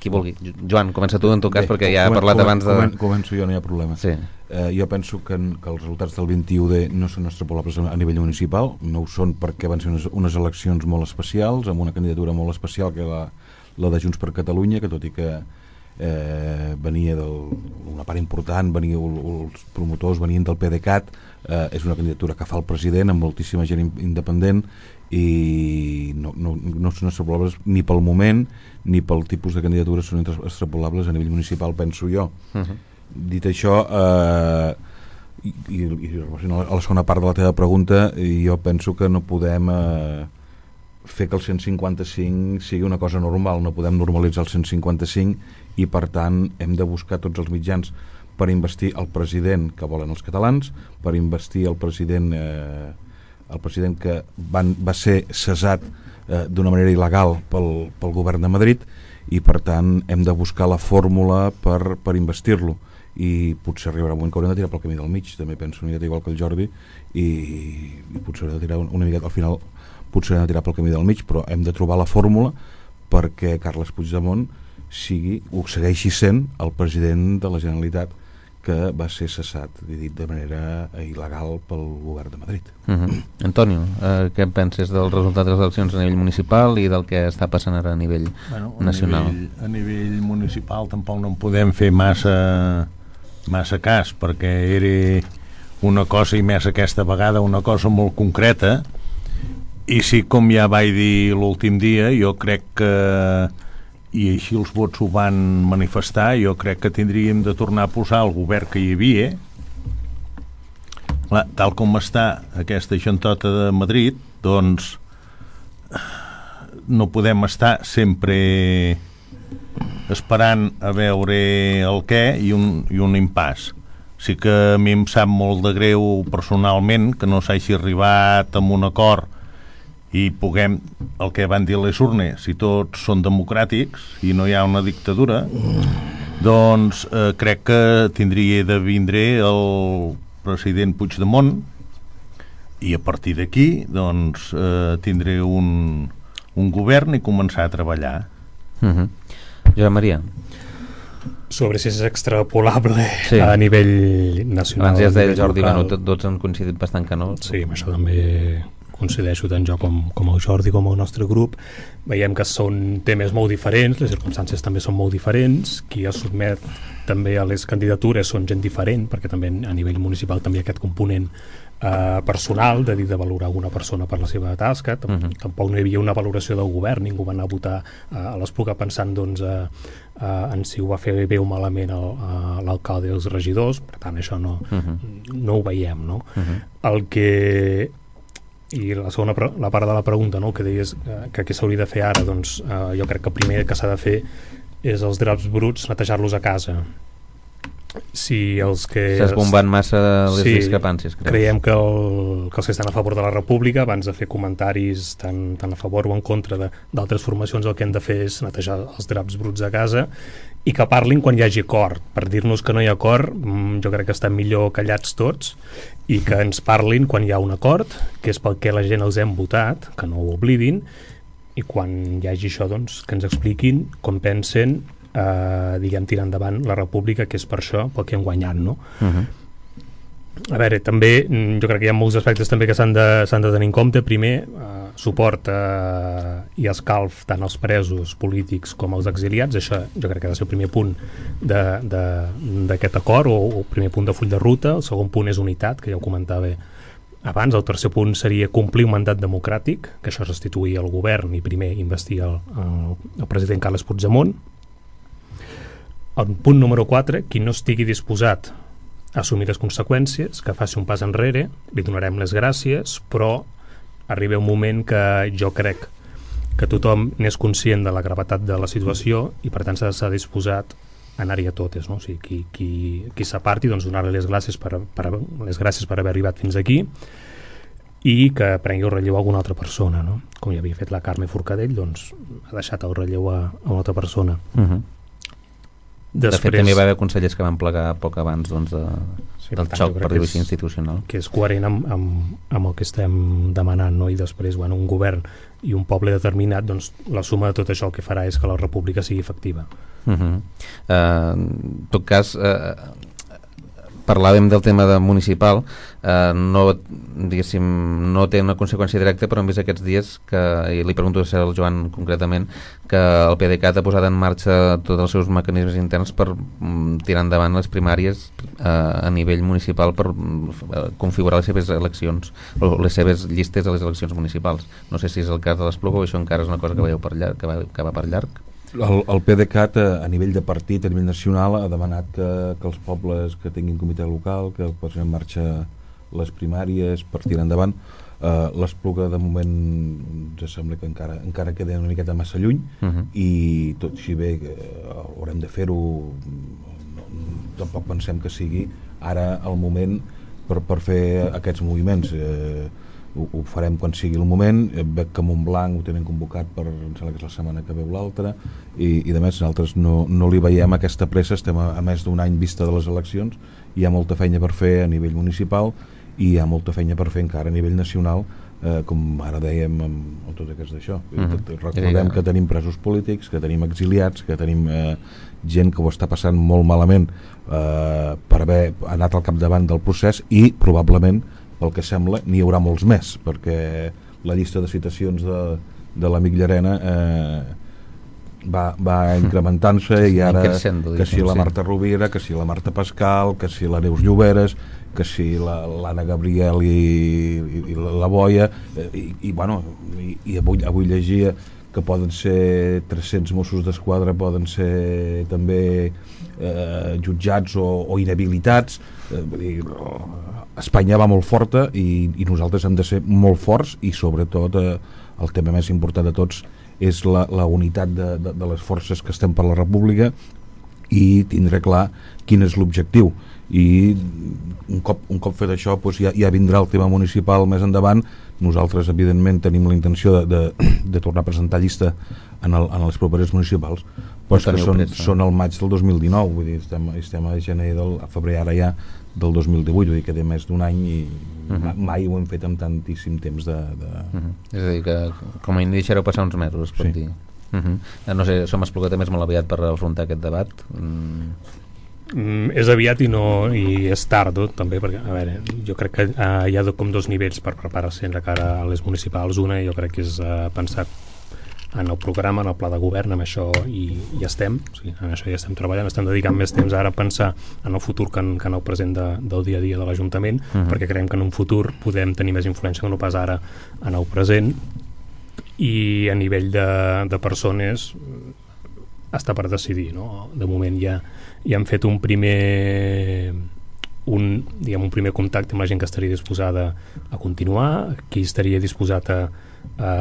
qui vulgui. Joan, comença tu en tot cas. Bé, perquè ja he parlat abans de... Començo jo, no hi ha problema. Sí. Eh, jo penso que, que els resultats del vint-i-u D no són extrapolables a nivell municipal, no ho són perquè van ser unes, unes eleccions molt especials, amb una candidatura molt especial que la, la de Junts per Catalunya, que tot i que eh, venia del, una part important, venia, els promotors venien del PDeCAT, eh, és una candidatura que fa el president amb moltíssima gent independent i no, no, no són extrapolables ni pel moment ni pel tipus de candidatures, són extrapolables a nivell municipal, penso jo. Uh-huh. Dit això, eh, i, i, i a la segona part de la teva pregunta, jo penso que no podem eh, fer que el cent cinquanta-cinc sigui una cosa normal, no podem normalitzar el cent cinquanta-cinc i per tant hem de buscar tots els mitjans per investir el president que volen els catalans, per investir el president eh, el president que van, va ser cessat eh, d'una manera il·legal pel, pel govern de Madrid, i per tant hem de buscar la fórmula per, per investir-lo, i potser arribarà un moment que haurem de tirar pel camí del mig, també penso una miqueta igual que el Jordi, i, i potser haurem de tirar una miqueta, al final potser haurem de tirar pel camí del mig, però hem de trobar la fórmula perquè Carles Puigdemont sigui, ho segueixi sent el president de la Generalitat que va ser cessat, dit de manera il·legal pel govern de Madrid. Uh-huh. Antonio, eh, què penses del resultat de les eleccions a nivell municipal i del que està passant ara a nivell bueno, nacional? A nivell, a nivell municipal tampoc no en podem fer massa, massa cas, perquè era una cosa, i més aquesta vegada, una cosa molt concreta, i sí, com ja vaig dir l'últim dia, jo crec que, i així els vots ho van manifestar, jo crec que tindríem de tornar a posar el govern que hi havia. Clar, tal com està aquesta xantota de Madrid, doncs no podem estar sempre esperant a veure el què i un, i un impàs. Sí que a mi em sap molt de greu personalment que no s'hagi arribat a un acord i puguem, el que van dir les urnes, si tots són democràtics i no hi ha una dictadura, doncs eh, crec que tindria de vindre el president Puigdemont i a partir d'aquí doncs eh, tindré un, un govern i començar a treballar. Uh-huh. Josep Maria. Sobre si és extrapolable sí. a nivell nacional. Abans ja es deia Jordi, bueno, tots han coincidit bastant que no. Sí, amb això també coincideixo tant jo com, com el Jordi com el nostre grup. Veiem que són temes molt diferents, les circumstàncies també són molt diferents, qui es sotmet també a les candidatures són gent diferent, perquè també a nivell municipal també hi ha aquest component eh, personal, de dir de valorar una persona per la seva tasca. Tamp uh-huh. Tampoc no hi havia una valoració del govern, ningú va anar a votar eh, a l'Espluga pensant doncs, eh, eh, en si ho va fer bé o malament l'alcalde i els regidors, per tant això no, uh-huh. no ho veiem, no? Uh-huh. El que i la segona la part de la pregunta, no, que deies eh, que què s'hauria de fer ara, doncs eh, jo crec que primer que s'ha de fer és els draps bruts, netejar-los a casa. Si els que... S'ha esbombant massa les sí, discrepàncies, creus? Creiem que, el, que els que estan a favor de la República, abans de fer comentaris tant, tant a favor o en contra d'altres formacions, el que hem de fer és netejar els draps bruts a casa i que parlin quan hi hagi acord. Per dir-nos que no hi ha acord, jo crec que estem millor callats tots i que ens parlin quan hi ha un acord, que és pel que la gent els hem votat, que no ho oblidin, i quan hi hagi això, doncs, que ens expliquin com pensen eh, diguem, tirar endavant la República, que és per això pel que hem guanyat, no? Uh-huh. A veure, també jo crec que hi ha molts aspectes també que s'han de, s'han de tenir en compte. Primer, eh, suport eh, i escalf tant als presos polítics com als exiliats. Això jo crec que ha de ser el primer punt d'aquest acord, o el primer punt de full de ruta. El segon punt és unitat, que ja ho comentava abans. El tercer punt seria complir un mandat democràtic, que això és restituir el govern i primer investir el, el, el president Carles Puigdemont. El punt número quatre, qui no estigui disposat assumir les conseqüències, que faci un pas enrere, li donarem les gràcies, però arriba un moment que jo crec que tothom n'és conscient de la gravetat de la situació i per tant s'ha d'estar disposat a anar-hi a totes, no? O sigui, qui, qui, qui s'aparti, doncs donar-li les gràcies per, per, les gràcies per haver arribat fins aquí i que prengui el relleu a alguna altra persona, no? Com ja havia fet la Carme Forcadell, doncs ha deixat el relleu a, a una altra persona. Uh-huh. Després... De fet, també va haver consellers que van plegar poc abans doncs, de, sí, del xoc, per dir-ho així, institucional. Que és coherent amb, amb, amb el que estem demanant, no? I després, bueno, un govern i un poble determinat, doncs la suma de tot això el que farà és que la república sigui efectiva. Uh-huh. uh, en tot cas, uh, parlàvem del tema de municipal, uh, no, diguéssim, no té una conseqüència directa, però hem vist aquests dies que, i li pregunto al Joan concretament, que el PDeCAT ha posat en marxa tots els seus mecanismes interns per um, tirar endavant les primàries uh, a nivell municipal per uh, configurar les seves eleccions o les seves llistes a les eleccions municipals. No sé si és el cas de l'Espluga o això encara és una cosa que, veieu per llarg, que, va, que va per llarg. El, el PDeCAT a, a nivell de partit, a nivell nacional, ha demanat que, que els pobles que tinguin comitè local, que posin en marxa les primàries per tirar endavant. Uh, l'Espluga de moment ens sembla que encara, encara queda una miqueta massa lluny, uh-huh. i tot si bé que uh, haurem de fer-ho, no, tampoc pensem que sigui ara el moment per, per fer aquests moviments. Uh, ho, ho farem quan sigui el moment. Veig que Montblanc ho tenen convocat per, em sembla que és la setmana que veu l'altra, i, i de més nosaltres no, no li veiem aquesta pressa. Estem a, a més d'un any vista de les eleccions, hi ha molta feina per fer a nivell municipal i hi ha molta feina per fer encara a nivell nacional, eh, com ara dèiem amb, amb tot aquest d'això. Uh-huh. Recordem que tenim presos polítics, que tenim exiliats, que tenim eh, gent que ho està passant molt malament eh, per haver anat al capdavant del procés, i probablement, pel que sembla, n'hi haurà molts més, perquè la llista de citacions de, de l'amic Llarena eh, va, va incrementant-se, i ara que si la Marta Rovira, que si la Marta Pascal, que si la Neus Lloberes, que si l'Anna Gabriel i, i, i la Boia, i, i bueno, i, i avui, avui llegia que poden ser tres-cents Mossos d'Esquadra, poden ser també eh, jutjats o, o inhabilitats. eh, vull dir, Espanya va molt forta, i, i nosaltres hem de ser molt forts, i sobretot eh, el tema més important de tots és la, la unitat de, de, de les forces que estem per la República, i tindre clar quin és l'objectiu. I un cop, un cop fet això, doncs ja, ja vindrà el tema municipal més endavant, Nosaltres, evidentment, tenim la intenció de, de, de tornar a presentar llista en, el, en les properes municipals, però és que són, són al maig del dos mil dinou, vull dir, estem, estem a gener del, a febrer ara ja del dos mil divuit, vull dir que té més d'un any i uh-huh. mai ho hem fet amb tantíssim temps de... de... Uh-huh. És a dir, que com a inici deixareu passar uns mesos, pot sí. dir. Uh-huh. No sé, som Espluga també és molt aviat per afrontar aquest debat. Mm. Mm, és aviat i no i és tard també, perquè a veure, jo crec que uh, hi ha com dos nivells per preparar-se de cara a les municipals. Una jo crec que és uh, pensar en el programa, en el pla de govern, amb això i ja estem, o sigui, en això ja estem treballant, estem dedicant més temps ara a pensar en el futur que en, que en el present de, del dia a dia de l'Ajuntament, uh-huh. perquè creiem que en un futur podem tenir més influència que no pas ara en el present. I a nivell de, de persones està per decidir, no? De moment ja, ja hem fet un primer un, diguem, un primer contacte amb la gent que estaria disposada a continuar, qui estaria disposat a, a,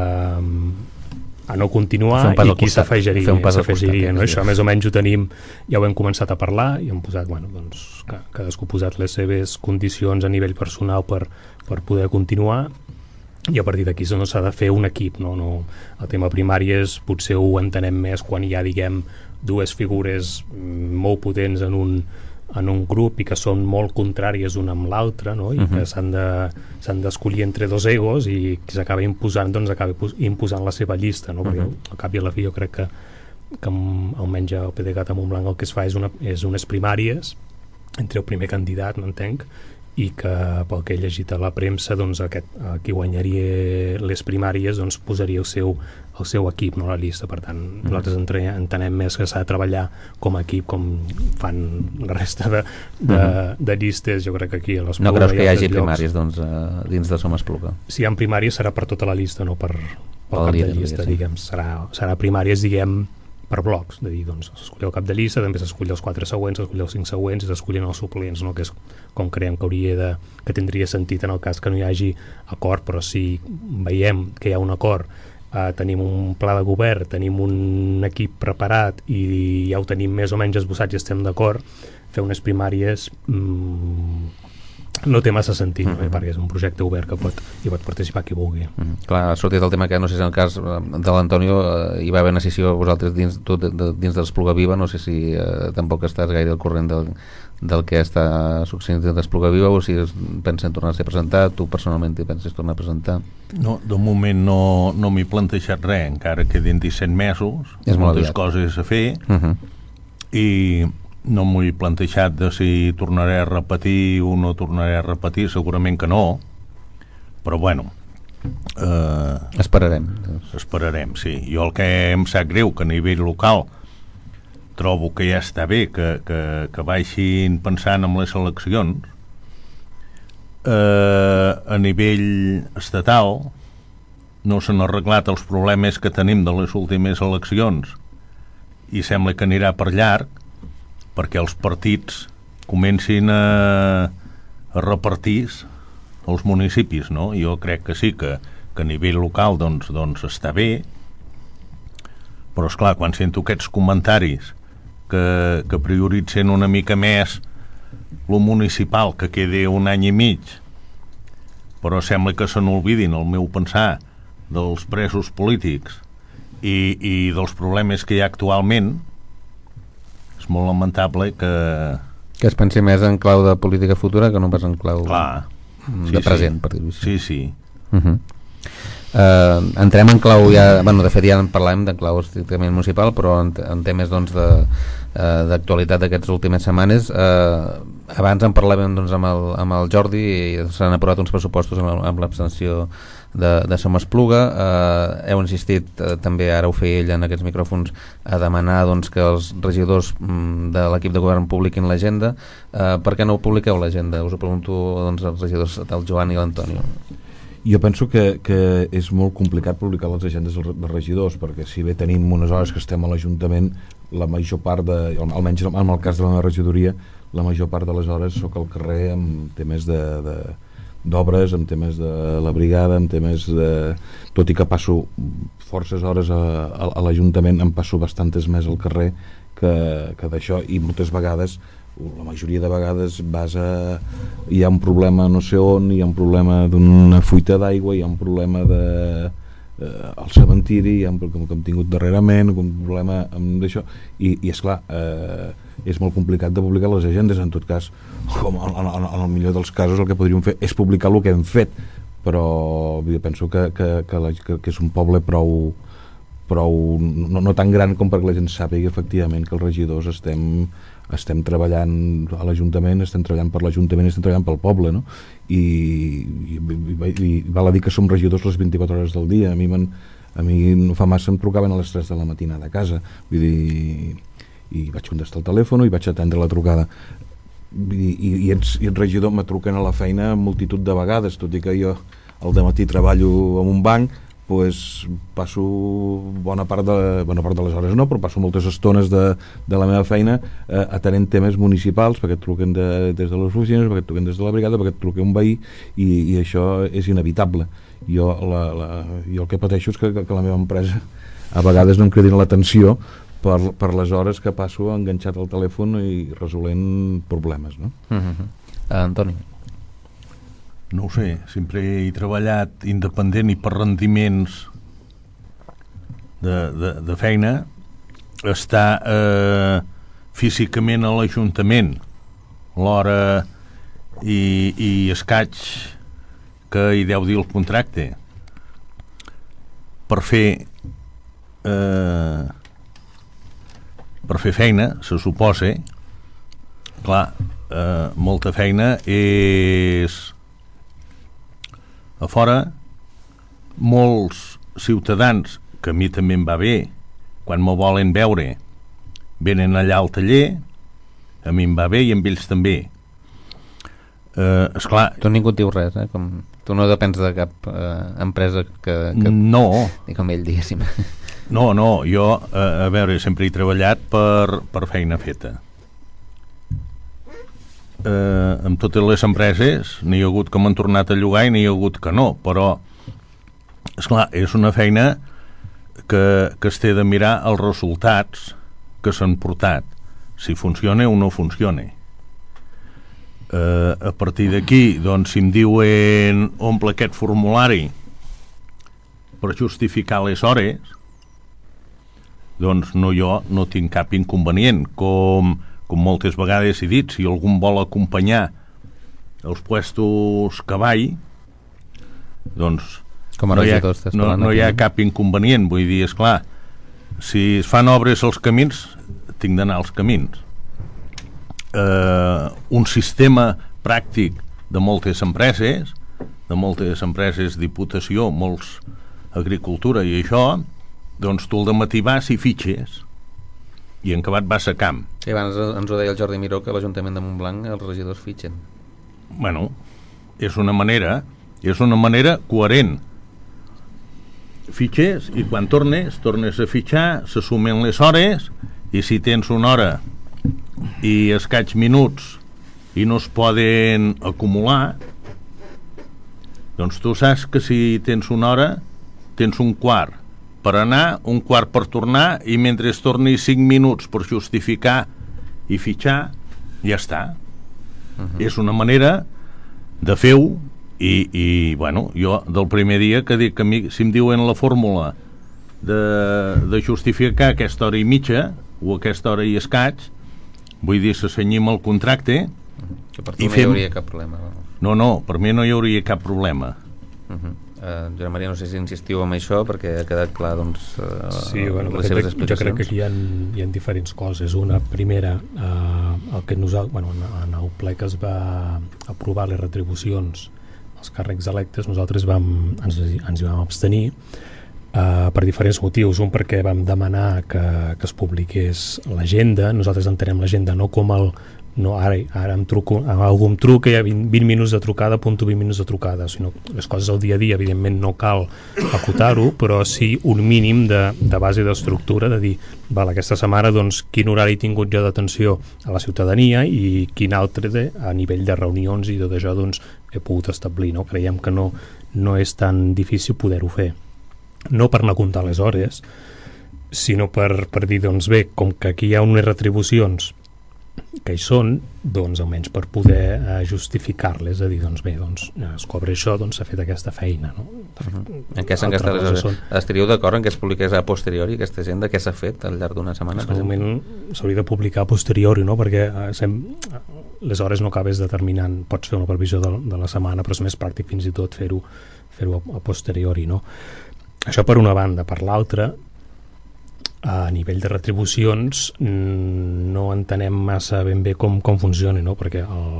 a no continuar i qui s'afegiria, s'afegiria, no? Això més o menys ho tenim, ja ho hem començat a parlar i hem posat, bueno, doncs cadascú ha posat les seves condicions a nivell personal per, per poder continuar, i a partir d'aquí no s'ha de fer un equip, no? No, el tema primàries potser ho entenem més quan hi ha, diguem, dues figures molt potents en un, en un grup i que són molt contràries una amb l'altra, no? I uh-huh. que s'han de, s'han d'escollir entre dos egos i qui s'acaba imposant, doncs acaba imposant la seva llista, no? Perquè uh-huh. al cap i a la fi jo crec que, que almenys el P D C A t a Montblanc el que es fa és, una, és unes primàries entre el primer candidat, m'entenc, i que pel que he llegit a la premsa, doncs aquest, qui guanyaria les primàries doncs posaria el seu, el seu equip, no la llista. Per tant, mm. nosaltres entre, entenem més que s'ha de treballar com a equip, com fan la resta de, de, mm. de llistes. Jo crec que aquí a l'Espluga... No creus que hi hagi primàries doncs, uh, dins de Som Espluga? Si hi ha primàries serà per tota la llista, no per, per cap de llista, sí. diguem. Serà, serà primàries, diguem, per blocs, de dir, doncs, s'escull el cap de llista, també s'escull els quatre següents, s'escull els cinc següents i s'escullen els suplents, no? Que és com creiem que hauria de, que tindria sentit en el cas que no hi hagi acord, però si veiem que hi ha un acord, eh, tenim un pla de govern, tenim un equip preparat i ja ho tenim més o menys esbossat i estem d'acord, fer unes primàries mmm, no té massa sentit, mm-hmm. no? Perquè és un projecte obert que pot, hi pot participar qui vulgui. Mm-hmm. Clar, ha sortit el tema que no sé si en el cas de l'Antonio eh, hi va haver una sessió vosaltres dins, tot, de, dins de l'Espluga Viva, no sé si eh, tampoc estàs gaire al corrent del, del que està succeint dins d'Espluga Viva o si pensen tornar-se a presentar, tu personalment t'hi penses tornar a presentar? No, de moment no, no m'he plantejat res, encara queden disset mesos, és moltes coses a fer, uh-huh. i no m'ho he plantejat de si tornaré a repetir o no tornaré a repetir, segurament que no, però bueno, eh, esperarem esperarem, sí. Jo el que em sap greu que a nivell local trobo que ja està bé que, que, que baixin pensant en les eleccions, eh, a nivell estatal no s'han arreglat els problemes que tenim de les últimes eleccions i sembla que anirà per llarg perquè els partits comencin a, a repartir els municipis, no? Jo crec que sí, que, que a nivell local doncs, doncs està bé, però esclar, quan sento aquests comentaris que, que prioritzen una mica més lo municipal, que quedi un any i mig, però sembla que se n'olvidin, el meu pensar, dels presos polítics i, i dels problemes que hi ha actualment, és molt lamentable que... Que es pensi més en clau de política futura que no pas en clau Clar. de Sí, present, sí. per dir-ho així. Sí, sí. Uh-huh. Uh, entrem en clau ja, bueno, de fet ja en parlàvem de clau estrictament municipal, però en, en temes doncs de uh, d'actualitat d'aquestes últimes setmanes. Uh, abans en parlàvem doncs, amb, el, amb el Jordi i s'han aprovat uns pressupostos amb, amb l'abstenció de, de Som Espluga. Uh, heu insistit, uh, també ara ho feia ell en aquests micròfons, a demanar doncs, que els regidors mm, de l'equip de govern publiquin l'agenda. Uh, per què no ho publiqueu l'agenda? Us ho pregunto doncs, als regidors del Joan i l'Antonio. Jo penso que, que és molt complicat publicar les agendes dels regidors, perquè si bé tenim unes hores que estem a l'Ajuntament, la major part de, almenys en el cas de la meva regidoria, la major part de les hores soc al carrer amb temes de, de, d'obres, amb temes de la brigada, amb temes de... Tot i que passo forces hores a, a, a l'Ajuntament, em passo bastantes més al carrer que, que d'això, i moltes vegades la majoria de vegades vas a... hi ha un problema no sé on, hi ha un problema d'una fuita d'aigua, hi ha un problema de... Eh, al cementiri, hi ha un problema que hem tingut darrerament, un problema amb això, i, i esclar, eh, és molt complicat de publicar les agendes. En tot cas, com en, en, en el millor dels casos, el que podríem fer és publicar el que hem fet, però jo penso que, que, que, la, que, que és un poble prou, prou no, no tan gran com perquè la gent sàpiga efectivament que els regidors estem, estem treballant a l'Ajuntament, estem treballant per l'Ajuntament, estem treballant pel poble, no? I, i, i, i val a dir que som regidors les vint-i-quatre hores del dia. A mi, a mi no fa massa em trucaven a les tres de la matinada a casa, vull dir, i vaig contestar el telèfon i vaig atendre la trucada. Vull dir, i, i, ets, i ets regidor, me truquen a la feina multitud de vegades, tot i que jo al dematí treballo en un banc, pues, passo bona part de, bona part de les hores no, però passo moltes estones de, de la meva feina eh, atenent temes municipals, perquè et truquen de, des de les oficines, perquè et truquen des de la brigada, perquè et truquen un veí, i, i això és inevitable. Jo, la, la, jo el que pateixo és que, que la meva empresa a vegades no em cridin l'atenció per, per les hores que passo enganxat al telèfon i resolent problemes, no? Uh-huh. uh, Antoni? No ho sé, sempre he treballat independent i per rendiments de, de, de feina, estar eh, físicament a l'Ajuntament l'hora i, i escaig que hi deu dir el contracte per fer eh, per fer feina, se suposa, clar, eh, molta feina és a fora. Molts ciutadans, que a mi també em va bé, quan me volen veure venen allà al taller, a mi em va bé i amb ells també. Eh, esclar, tu ningú et diu res, eh? Com, tu no depens de cap eh, empresa que, que no, ni com ell diguéssim. no, no, jo eh, a veure, sempre he treballat per, per feina feta. Eh, amb totes les empreses n'hi ha hagut que m'han tornat a llogar i n'hi ha hagut que no, però esclar, és una feina que, que es té de mirar els resultats que s'han portat, si funciona o no funciona. Eh, a partir d'aquí, doncs, si em diuen omple aquest formulari per justificar les hores, doncs no, jo no tinc cap inconvenient, com com moltes vegades he dit, si algú vol acompanyar els puestos que vaig, doncs com a no, hi ha, regidor, no, no hi ha cap inconvenient. Vull dir, esclar, si es fan obres als camins, tinc d'anar als camins. Eh, un sistema pràctic de moltes empreses, de moltes empreses, diputació, molts agricultura i això, doncs tu al dematí vas i fitxes, i en acabat vas a camp. Sí, abans ens ho deia el Jordi Miró, que a l'Ajuntament de Montblanc els regidors fitxen. Bueno, és una manera, és una manera coherent. Fitxes i quan tornes, tornes a fitxar, se sumen les hores, i si tens una hora i escaig minuts i no es poden acumular, doncs tu saps que si tens una hora, tens un quart per anar, un quart per tornar, i mentre es torni cinc minuts per justificar i fitxar, ja està. Uh-huh. És una manera de fer-ho, i, i bueno, jo del primer dia que dic que a mi, si em diuen la fórmula de, de justificar aquesta hora i mitja o aquesta hora i escaig, vull dir, s'assenyim el contracte, que per tu no fem... hi hauria cap problema. No, no, per mi no hi hauria cap problema. Uh-huh. Uh, Joan Maria, no sé si insistiu en això perquè ha quedat clar, doncs, uh, sí, bueno, les seves explicacions. Jo crec que aquí hi ha, hi ha diferents coses. Una, primera, uh, el que nosaltres, bueno, en el ple que es va aprovar les retribucions als càrrecs electes, nosaltres vam, ens, ens hi vam abstenir uh, per diferents motius. Un, perquè vam demanar que, que es publiqués l'agenda. Nosaltres entenem l'agenda no com el no, ara, ara em truco, algú em truca i hi ha vint, vint minuts de trucada, apunto vint minuts de trucada, sinó les coses al dia a dia, evidentment no cal acotar-ho, però sí un mínim de, de base d'estructura, de dir, val, aquesta setmana doncs, quin horari he tingut jo d'atenció a la ciutadania i quin altre de, a nivell de reunions i tot això doncs, he pogut establir, no? Creiem que no, no és tan difícil poder-ho fer, no per anar a comptar les hores, sinó per, per dir, doncs bé, com que aquí hi ha unes retribucions que hi són, doncs almenys per poder eh, justificar-les, és a dir, doncs bé, doncs es cobra això, doncs s'ha fet aquesta feina, no? Uh-huh. En què s'han gastat les hores? Són... Estaríeu d'acord en què es publiqués a posteriori aquesta gent, de què s'ha fet al llarg d'una setmana? En moment s'hauria de publicar a posteriori, no? Perquè eh, sem... les hores no acabes determinant, pots fer una previsió de, de la setmana, però és més pràctic fins i tot fer-ho fer-ho a, a posteriori, no? Això per una banda. Per l'altra, a nivell de retribucions no entenem massa ben bé com, com funciona, no? Perquè el,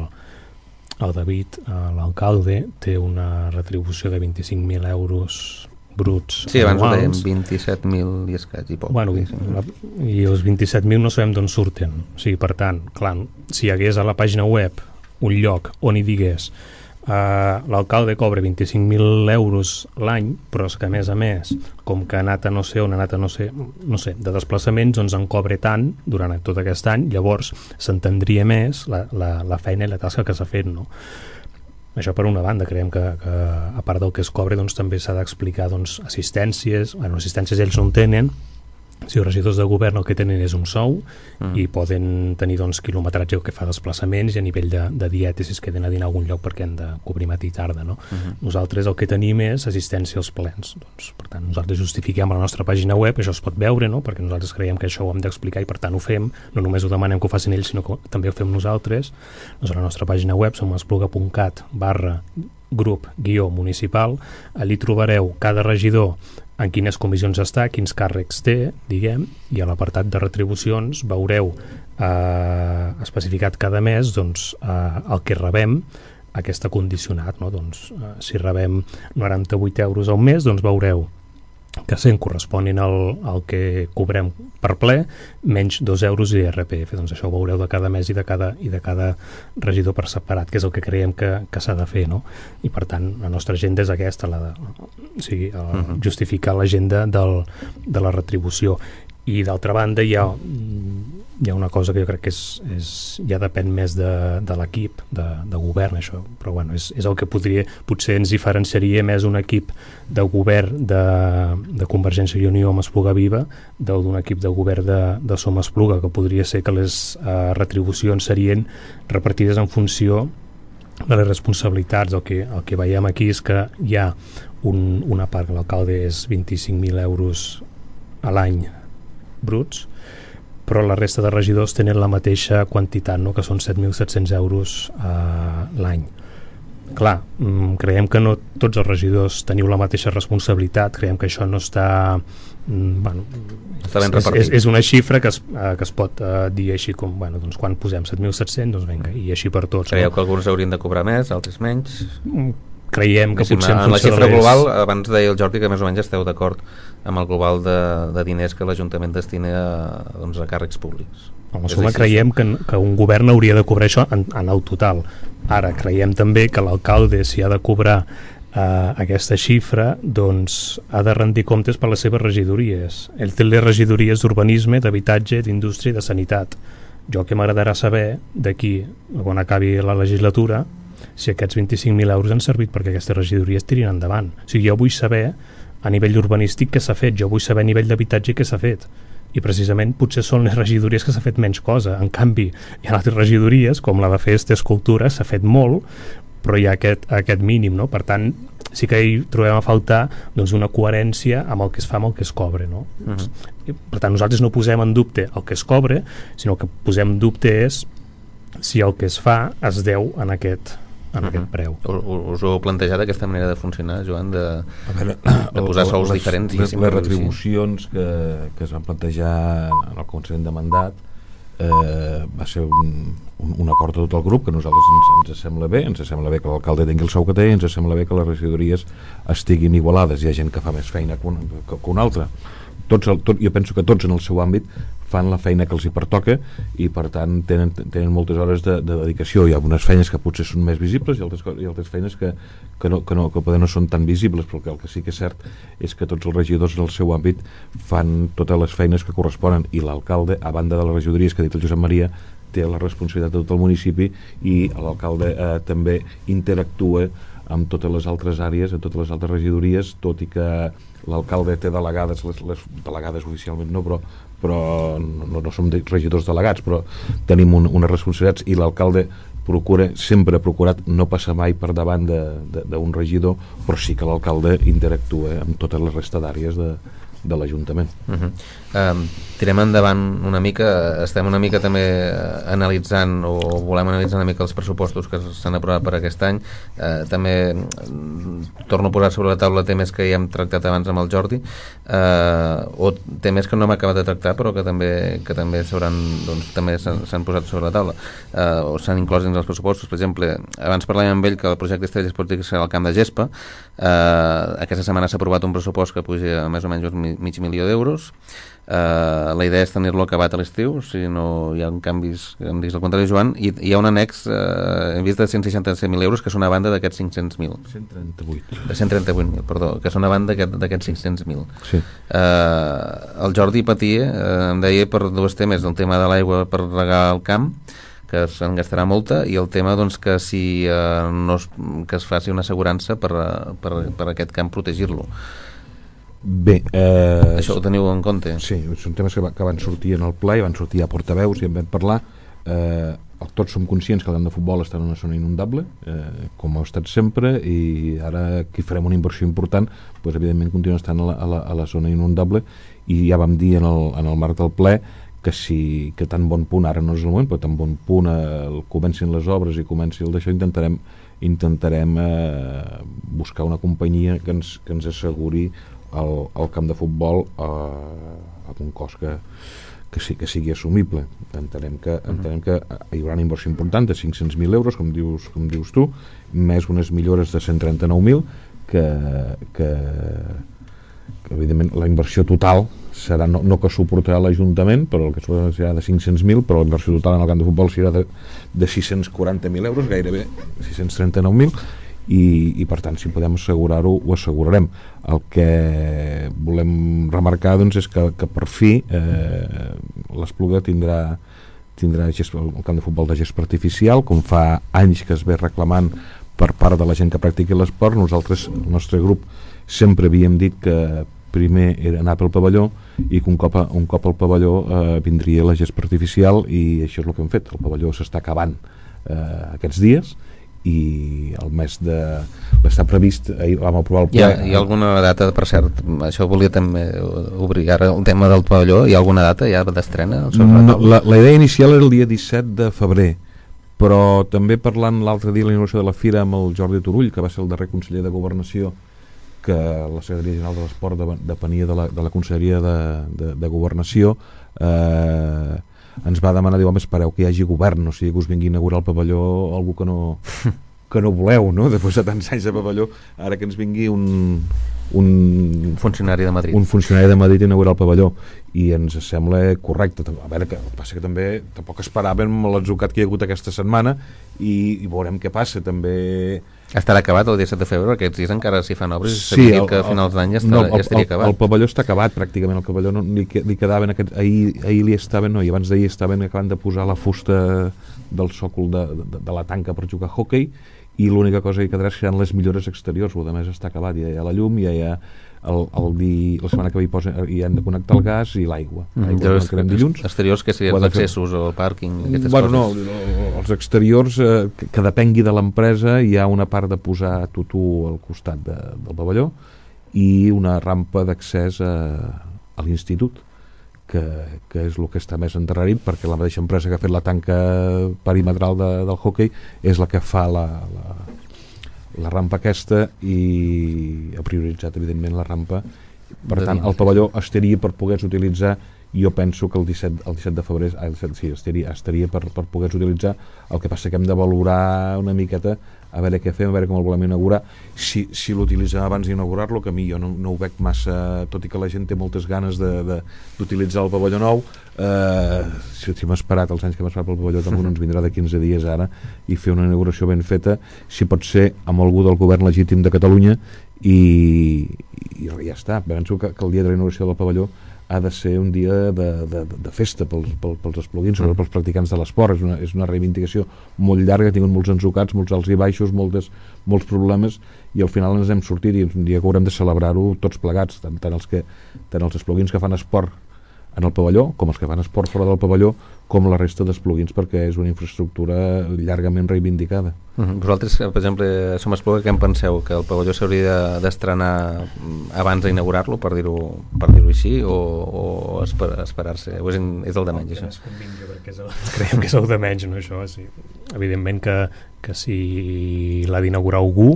el David, l'alcalde, té una retribució de vint-i-cinc mil euros bruts sí, abans anuals. Ho dèiem, vint-i-set mil i escaig i poc. Bueno, la, i els vint-i-set mil no sabem d'on surten. O sigui, per tant, clar, si hi hagués a la pàgina web un lloc on hi digués Uh, l'alcalde cobra vint-i-cinc mil euros l'any, però és que a més a més, com que ha anat a no sé on, ha anat a no sé, no sé, de desplaçaments, doncs en cobre tant durant tot aquest any, llavors s'entendria més la, la, la feina i la tasca que s'ha fet, no? Això per una banda, creiem que, que a part del que es cobra, doncs també s'ha d'explicar doncs, assistències, bueno, assistències ells no en tenen. Si els regidors de govern el que tenen és un sou mm. i poden tenir doncs, quilometratge que fa desplaçaments i a nivell de, de dieta si es queden a dinar a algun lloc perquè han de cobrir matí i tarda, no? Mm-hmm. Nosaltres el que tenim és assistència als plens, doncs, per tant nosaltres justifiquem a la nostra pàgina web, això es pot veure, no? Perquè nosaltres creiem que això ho hem d'explicar i per tant ho fem, no només ho demanem que ho facin ells sinó que també ho fem nosaltres. Doncs a la nostra pàgina web som espluga punt cat barra grup guió municipal, allí trobareu cada regidor en quines comissions està, quins càrrecs té, diguem, i a l'apartat de retribucions veureu eh, especificat cada mes doncs, eh, el que rebem, aquesta condicionat, no? Doncs, eh, si rebem noranta-vuit euros al mes, doncs veureu que cent corresponin al, al que cobrem per ple, menys dos euros i R P F. Doncs això ho veureu de cada mes i de cada, i de cada regidor per separat, que és el que creiem que, que s'ha de fer, no? I per tant, la nostra agenda és aquesta, la de, o sigui, el, uh-huh. justificar l'agenda del, de la retribució. I d'altra banda hi ha, hi ha una cosa que jo crec que és, és, ja depèn més de, de l'equip de, de govern, això, però bueno, és, és el que podria, potser ens diferenciaria més un equip de govern de, de Convergència i Unió amb Espluga Viva d'un equip de govern de, de Som Espluga, que podria ser que les eh, retribucions serien repartides en funció de les responsabilitats. El que, el que veiem aquí és que hi ha un, una part que l'alcalde és vint-i-cinc mil euros a l'any bruts, però la resta de regidors tenen la mateixa quantitat, no? Que són set mil set-cents euros eh, l'any. Clar, creiem que no tots els regidors teniu la mateixa responsabilitat, creiem que això no està... Bueno, està ben és, repartit. És, és una xifra que es, eh, que es pot eh, dir així com, bueno, doncs quan posem set mil set-cents, doncs vinga, i així per tots. Creieu no? que alguns haurien de cobrar més, altres menys? Creiem que potser en en la xifra les... global, abans deia el Jordi que més o menys esteu d'acord amb el global de, de diners que l'Ajuntament destina a, doncs, a càrrecs públics. En suma, creiem que, que un govern hauria de cobrar això en, en el total. Ara, creiem també que l'alcalde, si ha de cobrar eh, aquesta xifra, doncs ha de rendir comptes per les seves regidories. Ell té les regidories d'urbanisme, d'habitatge, d'indústria i de sanitat. Jo que m'agradarà saber d'aquí, quan acabi la legislatura, si aquests vint-i-cinc mil euros han servit perquè aquestes regidories tirin endavant. O sigui, jo vull saber a nivell urbanístic què s'ha fet, jo vull saber a nivell d'habitatge què s'ha fet, i precisament potser són les regidories que s'ha fet menys cosa. En canvi, hi ha altres regidories, com la de Festes, Cultura, s'ha fet molt, però hi ha aquest, aquest mínim, no? Per tant, sí que hi trobem a faltar doncs, una coherència amb el que es fa amb el que es cobra, no? Uh-huh. Per tant, nosaltres no posem en dubte el que es cobra, sinó que posem en dubte és si el que es fa es deu en aquest en uh-huh. aquest preu. Us ho heu plantejat aquesta manera de funcionar, Joan, de, veure, de posar sous les, diferents? Les, les retribucions que, que es van plantejar en el Consell de Mandat eh, va ser un, un, un acord de tot el grup que a nosaltres ens, ens sembla bé, ens sembla bé que l'alcalde tingui el sou que té, ens sembla bé que les regidories estiguin igualades. Hi ha gent que fa més feina que, un, que, que una altra. Tots el, tot, jo penso que tots en el seu àmbit fan la feina que els hi pertoca i per tant tenen, tenen moltes hores de, de dedicació. Hi ha unes feines que potser són més visibles i altres, i altres feines que, que, no, que, no, que poder no són tan visibles, però que el que sí que és cert és que tots els regidors en el seu àmbit fan totes les feines que corresponen, i l'alcalde, a banda de les regidories que ha dit el Josep Maria, té la responsabilitat de tot el municipi, i l'alcalde eh, també interactua amb totes les altres àrees, amb totes les altres regidories, tot i que l'alcalde té delegades, les, les delegades oficialment no, però, però no, no som regidors delegats, però tenim un, unes responsabilitats, i l'alcalde procura, sempre ha procurat no passar mai per davant d'un regidor, però sí que l'alcalde interactua amb totes les resta d'àrees de, de l'Ajuntament. Uh-huh. Um, tirem endavant una mica, estem una mica també analitzant o volem analitzar una mica els pressupostos que s'han aprovat per aquest any. Uh, també torno a posar sobre la taula temes que ja hem tractat abans amb el Jordi, uh, o temes que no hem acabat de tractar però que també, que també s'hauran, doncs, també s'han posat sobre la taula, uh, o s'han inclòs dins els pressupostos. Per exemple, abans parlàvem amb ell que el projecte Estrelles Esportives serà al camp de gespa. Uh, aquesta setmana s'ha aprovat un pressupost que puja a més o menys mig milió d'euros. Uh, la idea és tenir-lo acabat a l'estiu, si no hi ha canvis, em diguis el contrari, Joan, i hi ha un annex, uh, hem vist de cent seixanta-set mil euros, que és una banda d'aquests cinc-cents mil. cent trenta-vuit. De cent trenta-vuit mil, perdó, que és una banda d'aquests cinc-cents mil. Sí. Uh, el Jordi patia, uh, em deia per dos temes, el tema de l'aigua per regar el camp, que se'n gastarà molta, i el tema, doncs, que si uh, no es, que es faci una assegurança per, per, per aquest camp, protegir-lo. Bé, eh, això ho teniu en compte? Sí, són temes que, va, que van sortir en el ple, van sortir a portaveus i en vam parlar. Eh, tots som conscients que el camp de futbol està en una zona inundable, eh, com ha estat sempre, i ara que farem una inversió important, doncs, evidentment continua estant a la, a la, a la zona inundable, i ja vam dir en el, en el marc del ple que si que tan bon punt, ara no és el moment, però tan bon punt eh, comencin les obres i comenci el d'això, intentarem intentarem eh, buscar una companyia que ens, que ens asseguri el, el camp de futbol eh, amb un cost que, que, sí, que sigui assumible. Entenem que, entenem que hi haurà una inversió important de cinc-cents mil euros, com dius, com dius tu, més unes millores de cent trenta-nou mil, que, que, que evidentment la inversió total serà, no, no que suportarà l'Ajuntament, però el que serà de cinc-cents mil, però la inversió total en el camp de futbol serà de, de sis-cents quaranta mil euros, gairebé sis-cents trenta-nou mil, i, i per tant, si podem assegurar-ho, ho assegurarem. El que volem remarcar, doncs, és que, que per fi eh, l'Espluga tindrà tindrà gest, el camp de futbol de gespa artificial, com fa anys que es ve reclamant per part de la gent que practiqui l'esport. Nosaltres, el nostre grup, sempre havíem dit que primer era anar pel pavelló, i que un cop, un cop al pavelló eh, vindria la gespa artificial, i això és el que hem fet. El pavelló s'està acabant eh, aquests dies, i el mes de... està previst, ahir vam aprovar el ple. Hi ha, hi ha alguna data, per cert, això volia també obrir ara el tema del pavelló, hi ha alguna data ja d'estrena? No, la, la idea inicial era el dia disset de febrer, però també parlant l'altre dia a la inauguració de la Fira amb el Jordi Turull, que va ser el darrer conseller de Governació, que la Secretaria General de l'Esport depenia de la, de la Conselleria de, de, de Governació, eh, ens va demanar, diu, home, espereu que hi hagi govern, o sigui, que us vingui a inaugurar el pavelló algú que no, que no voleu, no? Després de tants anys de pavelló, ara que ens vingui un, un funcionari de Madrid un funcionari de Madrid a inaugurar el pavelló, i ens sembla correcte. A veure, que passa que també tampoc esperàvem l'atzucat que hi ha hagut aquesta setmana, i, i veurem què passa. També estarà acabat el disset de febrer, aquests dies encara s'hi fan obres, sí, s'havia dit que a finals d'any ja, no, ja estaria acabat. El, el pavelló està acabat pràcticament, el pavelló no, li, li quedaven aquest, ahir, ahir li estaven, no, i abans d'ahir estaven acabant de posar la fusta del sòcol de, de, de la tanca per jugar a hoquei, i l'única cosa que quedarà seran les millores exteriors. El més està acabat, ja hi ha la llum, ja hi ha el, el di, la setmana que ve hi, posen, hi han de connectar el gas i l'aigua. Mm, dilluns. Exteriors, que serien els accessos al pàrquing, aquestes bueno, coses? No, els exteriors, eh, que, que depengui de l'empresa, hi ha una part de posar tutú al costat de, del pavelló, i una rampa d'accés a, a l'institut, que, que és el que està més endarrerit, perquè la mateixa empresa que ha fet la tanca perimetral de, del hoquei és la que fa la, la, la rampa aquesta, i ha prioritzat evidentment la rampa. Per tant, el pavelló estaria per poder-se utilitzar, jo penso que el disset, el disset de febrer el disset, sí, estaria, estaria per, per poder-se utilitzar. El que passa que hem de valorar una miqueta, a veure què fem, a veure com el volem inaugurar, si, si l'utilitzem abans d'inaugurar-lo, que a mi jo no, no ho veig massa, tot i que la gent té moltes ganes d'utilitzar el pavelló nou. Eh, si hem esperat els anys que hem esperat pel pavelló, tampoc no ens vindrà de quinze dies ara, i fer una inauguració ben feta, si pot ser amb algú del govern legítim de Catalunya, i, i ja està. Penso que, que el dia de la inauguració del pavelló ha de ser un dia de, de, de festa pels, pels, pels espluguins, sobretot pels practicants de l'esport. És una, és una reivindicació molt llarga, ha tingut molts ensucats, molts alts i baixos, moltes, molts problemes, i al final ens hem sortit i és un dia que haurem de celebrar-ho tots plegats, tant, tant, els que, tant els espluguins que fan esport en el pavelló, com els que fan esport fora del pavelló, com la resta d'espluguins, perquè és una infraestructura llargament reivindicada. Uh-huh. Vosaltres, per exemple, som Espluga, què en penseu? Que el pavelló s'hauria d'estrenar abans d'inaugurar-lo, per dir-ho per dir-ho així, o, o esper esperar-se? O és, és el de menys, això? Perquè és el, creiem que és el de menys, no, això? Sí. Evidentment que, que si l'ha d'inaugurar algú,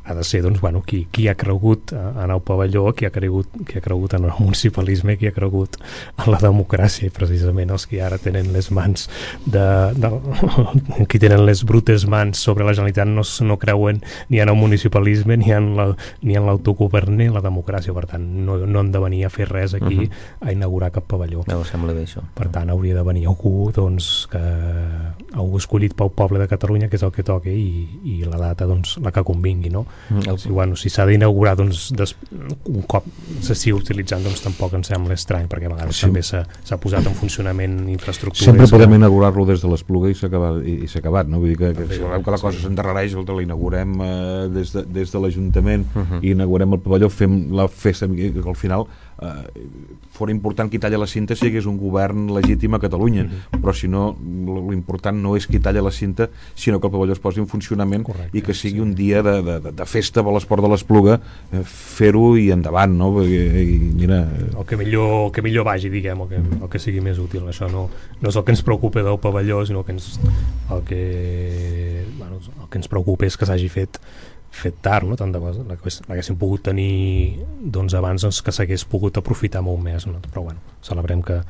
ha de ser, doncs, bueno, qui, qui ha cregut en el pavelló, qui ha cregut, qui ha cregut en el municipalisme, qui ha cregut en la democràcia, i precisament els que ara tenen les mans de, de qui tenen les brutes mans sobre la Generalitat no, no creuen ni en el municipalisme ni en la, ni en l'autogovern ni en la democràcia, per tant no, no han de venir a fer res aquí, uh-huh. a inaugurar cap pavelló. No, sembla bé això. Per tant hauria de venir algú, doncs, que algú escollit pel poble de Catalunya, que és el que toca, i, i la data, doncs, la que convingui, no? Mm. Si, bueno, si s'ha d'inaugurar, doncs, des, un cop s'estigui utilitzant, doncs tampoc em sembla estrany, perquè a vegades sí. també s'ha posat en funcionament infraestructures. Sempre podem que... inaugurar-lo des de l'Espluga i s'ha acabat, i, i s'ha acabat, no? Vull dir que, que si veurem que la cosa sí. s'endarrereix, l'inaugurem eh, des de, des de l'Ajuntament, uh -huh. i inaugurem el pavelló, fem la festa, que al final eh, fora important qui talla la cinta si hi hagués un govern legítim a Catalunya, uh -huh. però si no, l'important no és qui talla la cinta, sinó que el pavelló es posi en funcionament. Correcte, i que sigui sí. un dia de, de, de festa per l'esport de l'Espluga, eh, fer-ho i endavant, no? Perquè, i mira... El que millor, el que millor vagi, diguem, el que, el que sigui més útil. Això no, no és el que ens preocupa del pavelló, sinó que ens, el, que, bueno, el que ens preocupa és que s'hagi fet fet tard, no? Tant de cosa, l'haguéssim pogut tenir, doncs, abans, doncs, que s'hagués pogut aprofitar molt més, no? Però bueno, celebrem que,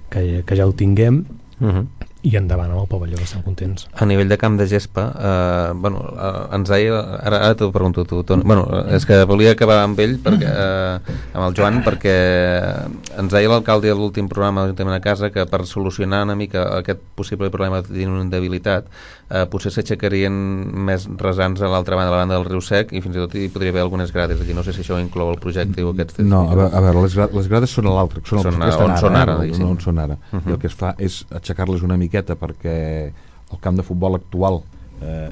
que, que ja ho tinguem. Uh-huh. I endavant amb el pavelló, estem contents. A nivell de camp de gespa, eh, bueno, eh, ens deia, ara, ara t'ho pregunto tu, Toni, bueno, és que volia acabar amb ell, perquè, eh, amb el Joan, perquè ens deia l'alcalde a l'últim programa de l'Ajuntament a Casa que per solucionar una mica aquest possible problema d'inundabilitat, eh, potser s'aixecarien més rasants a l'altra banda, a la banda del riu Sec, i fins i tot hi podria haver algunes grades aquí. No sé si això inclou el projecte o aquests... No, a veure, a veure les, gra les grades són a l'altre, són, són a, on són ara, eh? no, on són ara. Uh -huh. I el que es fa és aixecar-les una mica perquè el camp de futbol actual eh,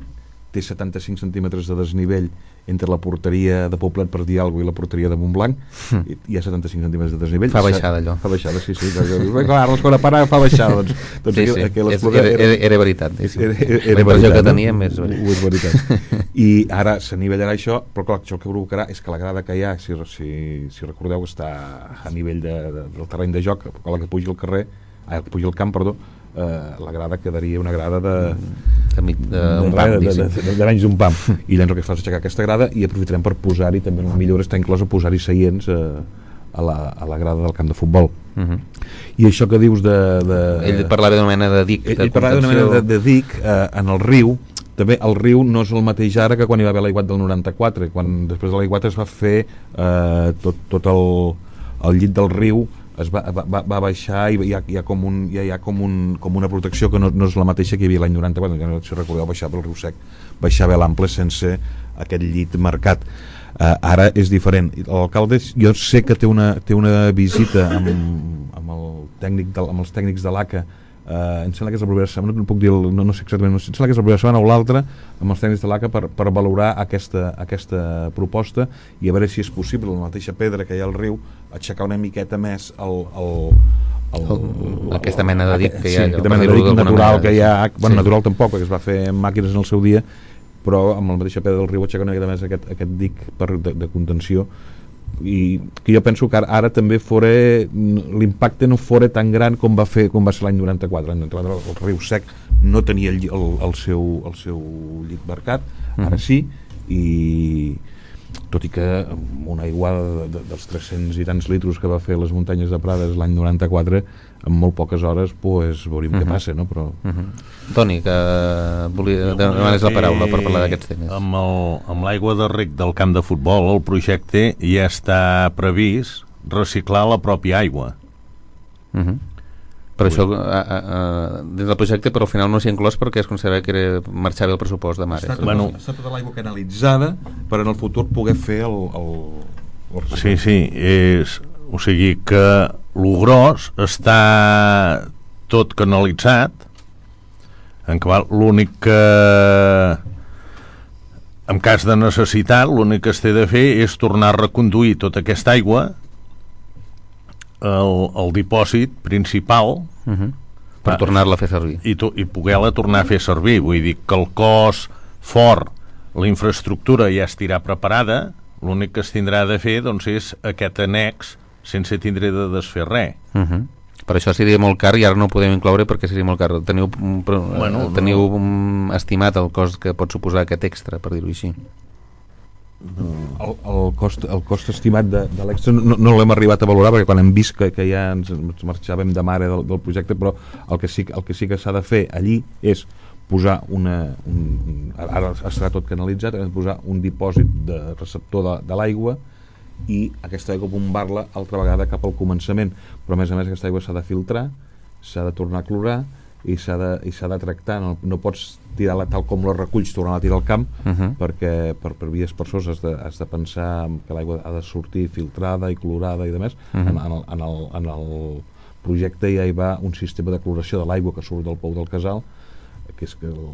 té setanta-cinc centímetres de desnivell entre la porteria de Poblet, per dir alguna cosa, i la porteria de Montblanc. Mm. I, hi ha setanta-cinc centímetres de desnivell. Fa baixada, allò. Fa baixada, sí, sí. Clar, la segona parada fa baixada. Doncs, doncs sí, sí. Aquí, aquí era, era, era veritat. Sí. Era, era, era la impressió que no? teníem és veritat. Ho és veritat. I ara s'anivellarà això, però clar, això el que provocarà és que la grada que hi ha, si, si, si recordeu, està a nivell de, de, del terreny de joc, a la que pugi el carrer, ah, que pugi el camp, perdó, Uh, la grada quedaria una grada de de, de, un pam, de, de, de, de, de menys d'un pam, i llavors el que fa és aixecar aquesta grada i aprofitarem per posar-hi, també una millora està inclosa posar-hi seients uh, a, la, a la grada del camp de futbol. Uh -huh. I això que dius de... de ell parlava d'una mena de dic, ell, ell parlava d'una mena de, de dic uh, en el riu. També el riu no és el mateix ara que quan hi va haver l'aiguat del noranta-quatre, quan després de l'aiguat es va fer uh, tot, tot el, el llit del riu es va, va, va baixar i hi ha, hi ha, com, un, hi ha, hi ha com, un, com una protecció que no, no és la mateixa que hi havia l'any noranta-quatre, no, si recordeu, baixar pel riu Sec, baixar bé l'ample sense aquest llit marcat. Uh, ara és diferent. L'alcalde, jo sé que té una, té una visita amb, amb, el tècnic de, amb els tècnics de l'A C A. Uh, em sembla que és la propera setmana, no puc dir, el, no, no sé exactament, no sé, em sembla que és la propera setmana o l'altra, amb els tècnics de l'A C A per, per valorar aquesta, aquesta proposta i a veure si és possible, la mateixa pedra que hi ha al riu, aixecar una miqueta més el, el, el, el, aquesta mena de dic que hi ha, sí, aquesta mena de dic natural que hi ha, bueno, sí. Natural tampoc, perquè es va fer amb màquines en el seu dia, però amb la mateixa pedra del riu aixecar una miqueta més aquest, aquest dic per, de, de contenció, i que jo penso que ara, ara també fora l'impacte no fora tan gran com va fer com va ser l'any noranta-quatre. L'any noranta-quatre el riu Sec no tenia el, el, el, seu, el seu llit marcat, ara sí, i tot i que amb una aiguada de, de, dels tres-cents i tants litros que va fer les muntanyes de Prades l'any noranta-quatre, en molt poques hores pues, veurem uh -huh. què passa, no? Però... Uh -huh. Toni, que volia demanar la paraula per parlar d'aquests temes. Amb l'aigua de rec del camp de futbol, el projecte ja està previst reciclar la pròpia aigua. Uh -huh. Per això, a, a, a, dins del projecte, però al final no s'hi ha inclòs perquè es considera que era marxar bé el pressupost de Mares. Està, bueno, està tota l'aigua canalitzada per en el futur poder fer el... el, el sí, sí, és, o sigui que lo gros està tot canalitzat, en què l'únic que en cas de necessitat l'únic que es té de fer és tornar a reconduir tota aquesta aigua al, al dipòsit principal, uh-huh. per tornar-la a fer servir i, to, i poder-la tornar a fer servir. Vull dir que el cos fort, la infraestructura ja estirà preparada, l'únic que es tindrà de fer doncs, és aquest annex sense tindre de desfer res. Uh-huh. Per això seria molt car i ara no ho podem incloure perquè seria molt car. Teniu, bueno, teniu no. estimat el cost que pot suposar aquest extra, per dir-ho així? El, el, cost, el cost estimat de, de l'extra no, no l'hem arribat a valorar perquè quan hem vist que, que ja ens, ens marxàvem de mare del, del projecte, però el que sí, el que, sí que s'ha de fer allí és posar una un, ara estarà tot canalitzat, hem de posar un dipòsit de receptor de, de l'aigua i aquesta aigua bombar-la altra vegada cap al començament, però a més a més aquesta aigua s'ha de filtrar, s'ha de tornar a clorar i s'ha de, i s'ha de tractar, no, no pots tirar-la tal com la reculls, tornar a tirar al camp, uh-huh. perquè per, per vies per sos has de, has de pensar que l'aigua ha de sortir filtrada i clorada i demés. Uh-huh. en, en, el, en, el, en el projecte ja hi va un sistema de cloració de l'aigua que surt del pou del casal, que és que el,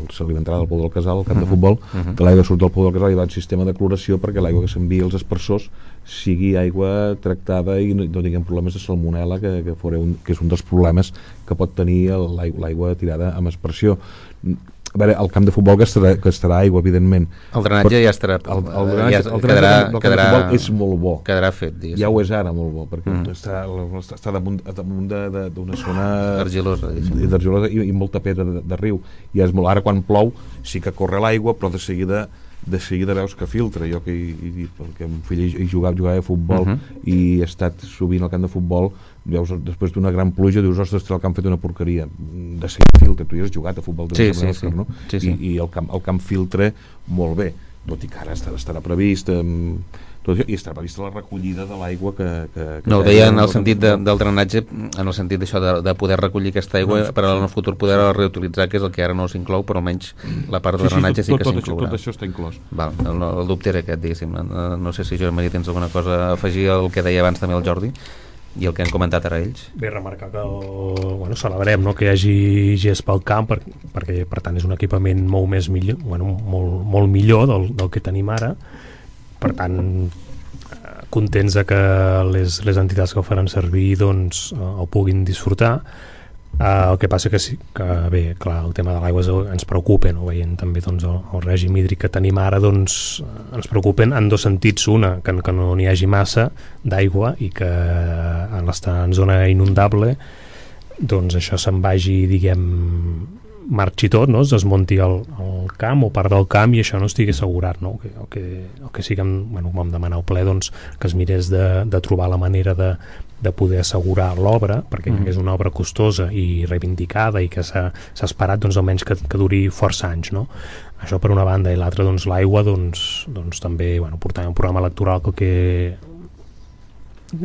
el, se li entrarà del pou del casal, al camp uh-huh. de futbol, uh-huh. que l'aigua surt del pou del casal, hi va un sistema de cloració perquè l'aigua que s'envia als aspersors sigui aigua tractada i no, no tinguem problemes de salmonel·la, que, que, un, que és un dels problemes que pot tenir l'aigua, l'aigua tirada amb aspersió. A veure, el camp de futbol que estarà, que estarà aigua, evidentment. El drenatge però, ja estarà... El, el drenatge, ja el drenatge quedarà, del camp quedarà, de futbol és molt bo. Quedarà fet, diguéssim. Ja ho és ara molt bo, perquè mm. està, està damunt, damunt d'una zona argilosa, argilosa i, i molta pedra de, de riu. I és molt, ara quan plou sí que corre l'aigua, però de seguida de seguida veus que filtra. Jo que hi, hi, perquè el fill hi jugava, jugava a futbol uh-huh. i he estat sovint al camp de futbol, veus, després d'una gran pluja dius, ostres, el camp fet una porqueria, de seguida filtra. Tu ja has jugat a futbol sí, sí, sí. no? sí, sí. I, i el, camp, el camp filtra molt bé, tot i que ara estarà, estarà previst um, tot, i estarà prevista la recollida de l'aigua que, que, que no, ho deia en el sentit de, del drenatge, en el sentit d'això de, de poder recollir aquesta aigua no, per al futur poder reutilitzar, que és el que ara no s'inclou, però almenys la part de sí, drenatge sí, tot, sí que s'inclourà. Tot això està inclòs. Val, el, el dubte era aquest, diguéssim. No, no sé si Joan Maria tens alguna cosa a afegir al que deia abans també el Jordi i el que han comentat ara ells. Bé, remarcar que el, bueno, celebrem no, que hi hagi gespa al camp per, perquè per tant és un equipament molt més millor, bueno, molt, molt millor del, del que tenim ara, per tant contents de que les, les entitats que ho faran servir doncs el puguin disfrutar. Uh, el que passa que sí, que bé, clar, el tema de l'aigua ens preocupa, no? Veient també doncs, el, el règim hídric que tenim ara, doncs ens preocupen en dos sentits. Una, que, que no n'hi hagi massa d'aigua i que en l'estar en zona inundable doncs això se'n vagi, diguem, marxi tot, no? Es desmunti el, el camp o part del camp i això no estigui assegurat, no? El que, el que sí que bueno, vam demanar al ple doncs, que es mirés de, de trobar la manera de de poder assegurar l'obra, perquè mm. és una obra costosa i reivindicada i que s'ha esperat doncs, almenys que, que duri força anys, no? Això per una banda, i l'altra doncs, l'aigua doncs, doncs, també bueno, portàvem un programa electoral que el que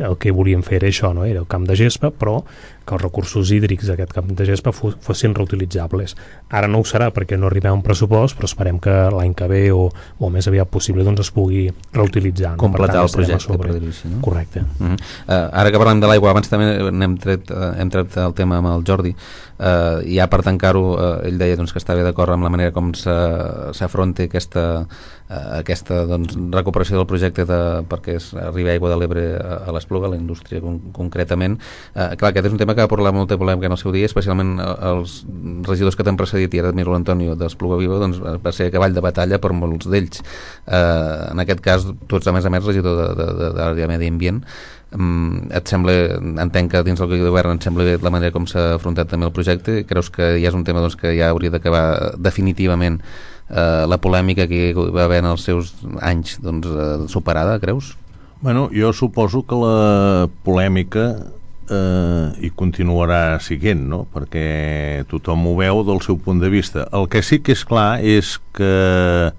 el que volíem fer era això, no? Era el camp de gespa, però que els recursos hídrics d'aquest camp de gespa fossin reutilitzables. Ara no ho serà perquè no arribem a un pressupost, però esperem que l'any que ve o, o més aviat possible doncs es pugui reutilitzar. No? Completar tant, el projecte, per dir-ho així, no? Correcte. Uh -huh. uh, ara que parlem de l'aigua, abans també hem tret, uh, hem tret el tema amb el Jordi, uh, ja per tancar-ho, uh, ell deia doncs, que estava d'acord amb la manera com s'afronta aquesta Uh, aquesta doncs, recuperació del projecte de, perquè es arribi aigua de l'Ebre a, a l'Espluga, a la indústria con concretament. Uh, clar, aquest és un tema que va portar molta polèmica en el seu dia, especialment els regidors que t'han precedit, i ara admiro l'Antonio d'Espluga Viva, doncs va ser cavall de batalla per molts d'ells. Uh, en aquest cas, tu ets a més a més regidor de, de, de, de l'àrea de Medi Ambient. Um, et sembla, entenc que dins del govern et sembla bé la manera com s'ha afrontat també el projecte? Creus que ja és un tema doncs, que ja hauria d'acabar definitivament Uh, la polèmica que va haver en els seus anys doncs, uh, superada, creus? Bueno, jo suposo que la polèmica eh, hi continuarà siguent, no? Perquè tothom ho veu del seu punt de vista. El que sí que és clar és que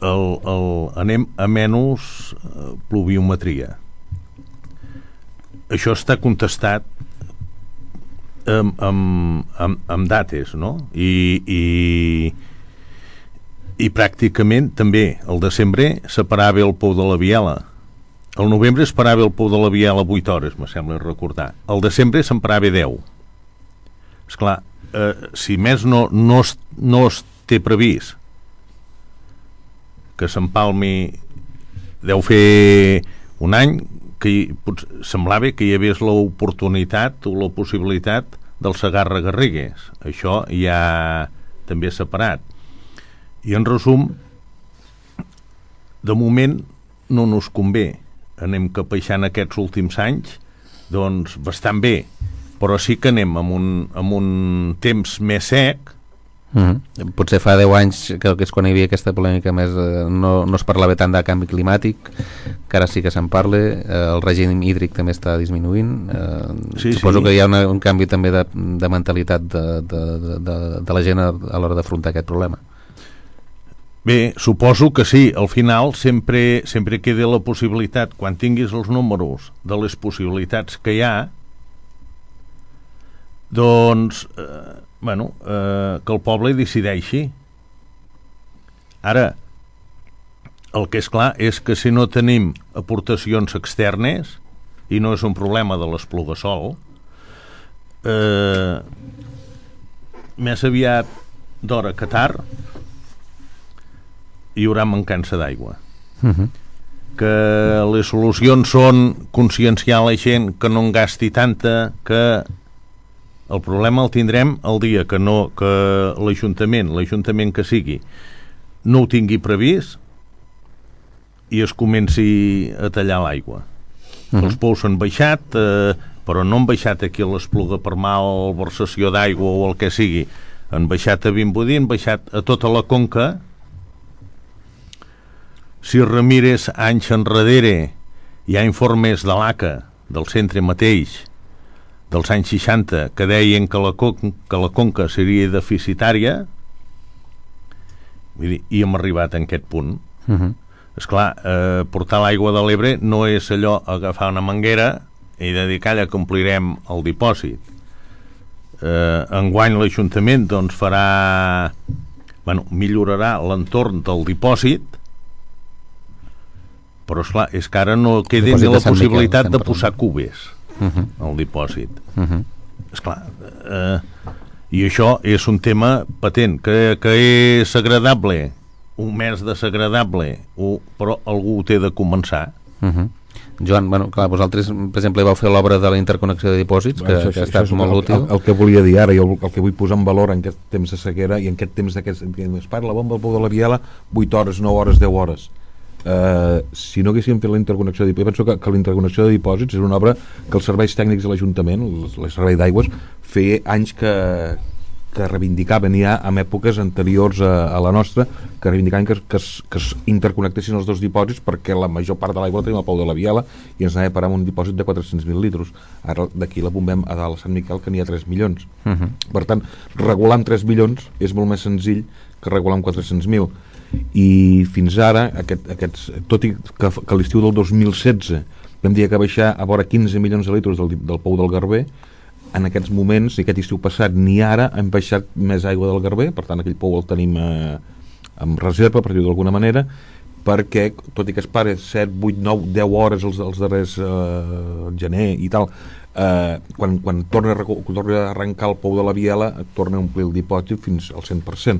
el, el, anem a menys pluviometria. Això està contestat amb, amb, amb, amb dates, no? I, i i pràcticament també el desembre separava el pou de la Viela el novembre es parava el pou de la Biela vuit hores, me sembla recordar. El desembre se'n parava deu. Esclar, eh, si més no, no, es, no es té previst que s'empalmi, deu fer un any que hi, pot, semblava que hi hagués l'oportunitat o la possibilitat del Segarra-Garrigues. Això ja també separat. I en resum, de moment no nos convé. Anem capeixant aquests últims anys doncs bastant bé, però sí que anem amb un, amb un temps més sec. Mm-hmm. Potser fa deu anys, que és quan hi havia aquesta polèmica més, eh, no, no es parlava tant de canvi climàtic, que ara sí que se'n parla. Eh, el règim hídric també està disminuint. Eh, sí, suposo sí. que hi ha una, un canvi també de, de mentalitat de, de, de, de, de la gent a, a l'hora d'afrontar aquest problema. Bé, suposo que sí. Al final sempre, sempre queda la possibilitat, quan tinguis els números de les possibilitats que hi ha, doncs eh, bueno, eh, que el poble decideixi. Ara, el que és clar és que si no tenim aportacions externes, i no és un problema de l'Espluga-Sol, eh, més aviat d'hora que tard hi haurà mancança d'aigua. Uh-huh. Que les solucions són conscienciar la gent que no en gasti tanta, que el problema el tindrem el dia que no, que l'Ajuntament, l'Ajuntament que sigui, no ho tingui previst i es comenci a tallar l'aigua. Uh-huh. Els pous han baixat, eh, però no han baixat aquí a l'Espluga per malversació d'aigua o el que sigui. Han baixat a Vimbodí, han baixat a tota la conca. Si remires anys enrere, hi ha informes de l'A C A, del centre mateix, dels anys seixanta, que deien que la, con que la conca seria deficitària. Vull dir, i hem arribat a aquest punt. Uh-huh. Esclar, eh, portar l'aigua de l'Ebre no és allò agafar una manguera i dedicar-la, complirem el dipòsit. Eh, enguany l'Ajuntament doncs farà, bueno, millorarà l'entorn del dipòsit, però esclar, és que ara no queda ni la possibilitat de posar cubes uh-huh. al dipòsit. Uh-huh. Esclar, eh, i això és un tema patent, que, que és agradable, un mes desagradable, o, però algú ho té de començar. Uh-huh. Joan, bueno, clar, vosaltres, per exemple, vau fer l'obra de la interconnexió de dipòsits, que, això, que ha estat molt el, útil. El, el que volia dir ara, i el, el que vull posar en valor en aquest temps de sequera, i en aquest temps d'aquest... Es parla la bomba del pou de la Biela, vuit hores, nou hores, deu hores. Uh, si no haguéssim fet la interconnexió de dipòsits, penso que, que la interconnexió de dipòsits és una obra que els serveis tècnics de l'Ajuntament, el, el servei d'aigües, feia anys que, que reivindicaven ja en èpoques anteriors a, a la nostra, que reivindicaven que, que, es, que es interconnectessin els dos dipòsits, perquè la major part de l'aigua la tenim al pou de la Biela i ens anava a parar amb un dipòsit de quatre-cents mil litres. Ara d'aquí la bombem a dalt a Sant Miquel, que n'hi ha tres milions. Uh-huh. Per tant, regular amb tres milions és molt més senzill que regular amb quatre-cents mil. I fins ara, aquest, aquests, tot i que, que l'estiu del dos mil setze vam dir que baixar a vora quinze milions de litres del, del pou del Garber, en aquests moments, i aquest estiu passat ni ara hem baixat més aigua del Garber, per tant aquell pou el tenim eh, en reserva, per dir-ho d'alguna manera, perquè tot i que es pare set, vuit, nou, deu hores els, els darrers eh, gener i tal, eh, quan, quan torna, a, torna a arrencar el pou de la Biela torna a omplir el dipòsit fins al cent per cent,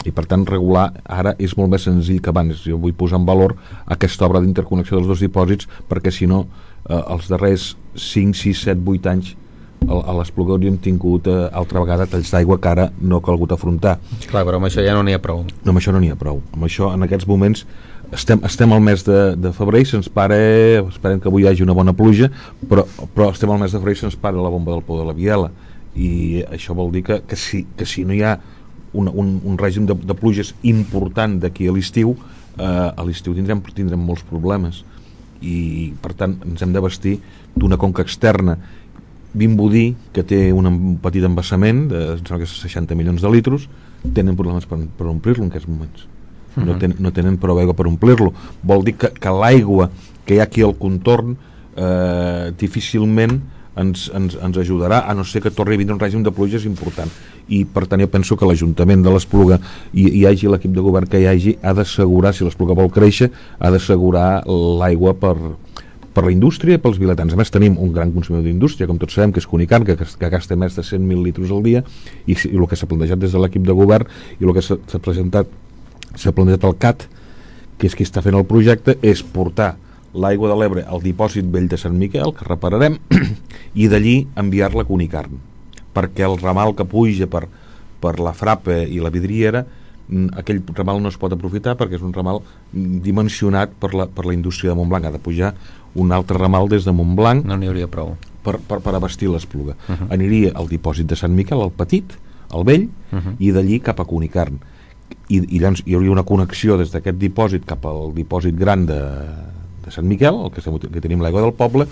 i per tant regular ara és molt més senzill que abans. Jo vull posar en valor aquesta obra d'interconnexió dels dos dipòsits, perquè si no eh, els darrers cinc, sis, set, vuit anys a l'Espluga hauríem tingut eh, altra vegada talls d'aigua que ara no ha calgut afrontar. Clar, però amb això ja no n'hi ha prou. No, amb això no n'hi ha prou. Amb això, en aquests moments, estem, estem al mes de, de febrer i se'ns pare, esperem que avui hi hagi una bona pluja, però, però estem al mes de febrer i se'ns para la bomba del pou de la Biela, i això vol dir que, que, si, que si no hi ha un, un, un règim de, de pluges important d'aquí a l'estiu, eh, a l'estiu tindrem, tindrem molts problemes, i per tant ens hem de vestir d'una conca externa. Vimbodí, que té un petit embassament de seixanta milions de litres, tenen problemes per, per omplir-lo en aquests moments. Uh-huh. no, ten, no tenen prou aigua per omplir-lo. Vol dir que, que l'aigua que hi ha aquí al contorn eh, difícilment ens, ens, ens ajudarà, a no ser que torni a vindre un règim de pluges important. I per tant jo penso que l'Ajuntament de l'Espluga, i hi hagi l'equip de govern que hi hagi, ha d'assegurar, si l'Espluga vol créixer, ha d'assegurar l'aigua per per la indústria i pels vilatans. A més tenim un gran consumidor d'indústria, com tots sabem, que és Cunicarn, que, que gasta més de cent mil litres al dia, i, i el que s'ha plantejat des de l'equip de govern i el que s'ha presentat s'ha plantejat al C A T, que és qui està fent el projecte, és portar l'aigua de l'Ebre al dipòsit vell de Sant Miquel, que repararem, i d'allí enviar-la a Cunicarn, perquè el ramal que puja per, per la Frapa i la Vidriera, aquell ramal no es pot aprofitar perquè és un ramal dimensionat per la, per la indústria de Montblanc. Ha de pujar un altre ramal des de Montblanc, no n'hi hauria prou per, per, per abastir l'Espluga. Uh -huh. Aniria al dipòsit de Sant Miquel, al petit, al vell, uh -huh. i d'allí cap a Cunicarn. I, i llavors hi hauria una connexió des d'aquest dipòsit cap al dipòsit gran de, de Sant Miquel, el que, que tenim l'aigua del poble,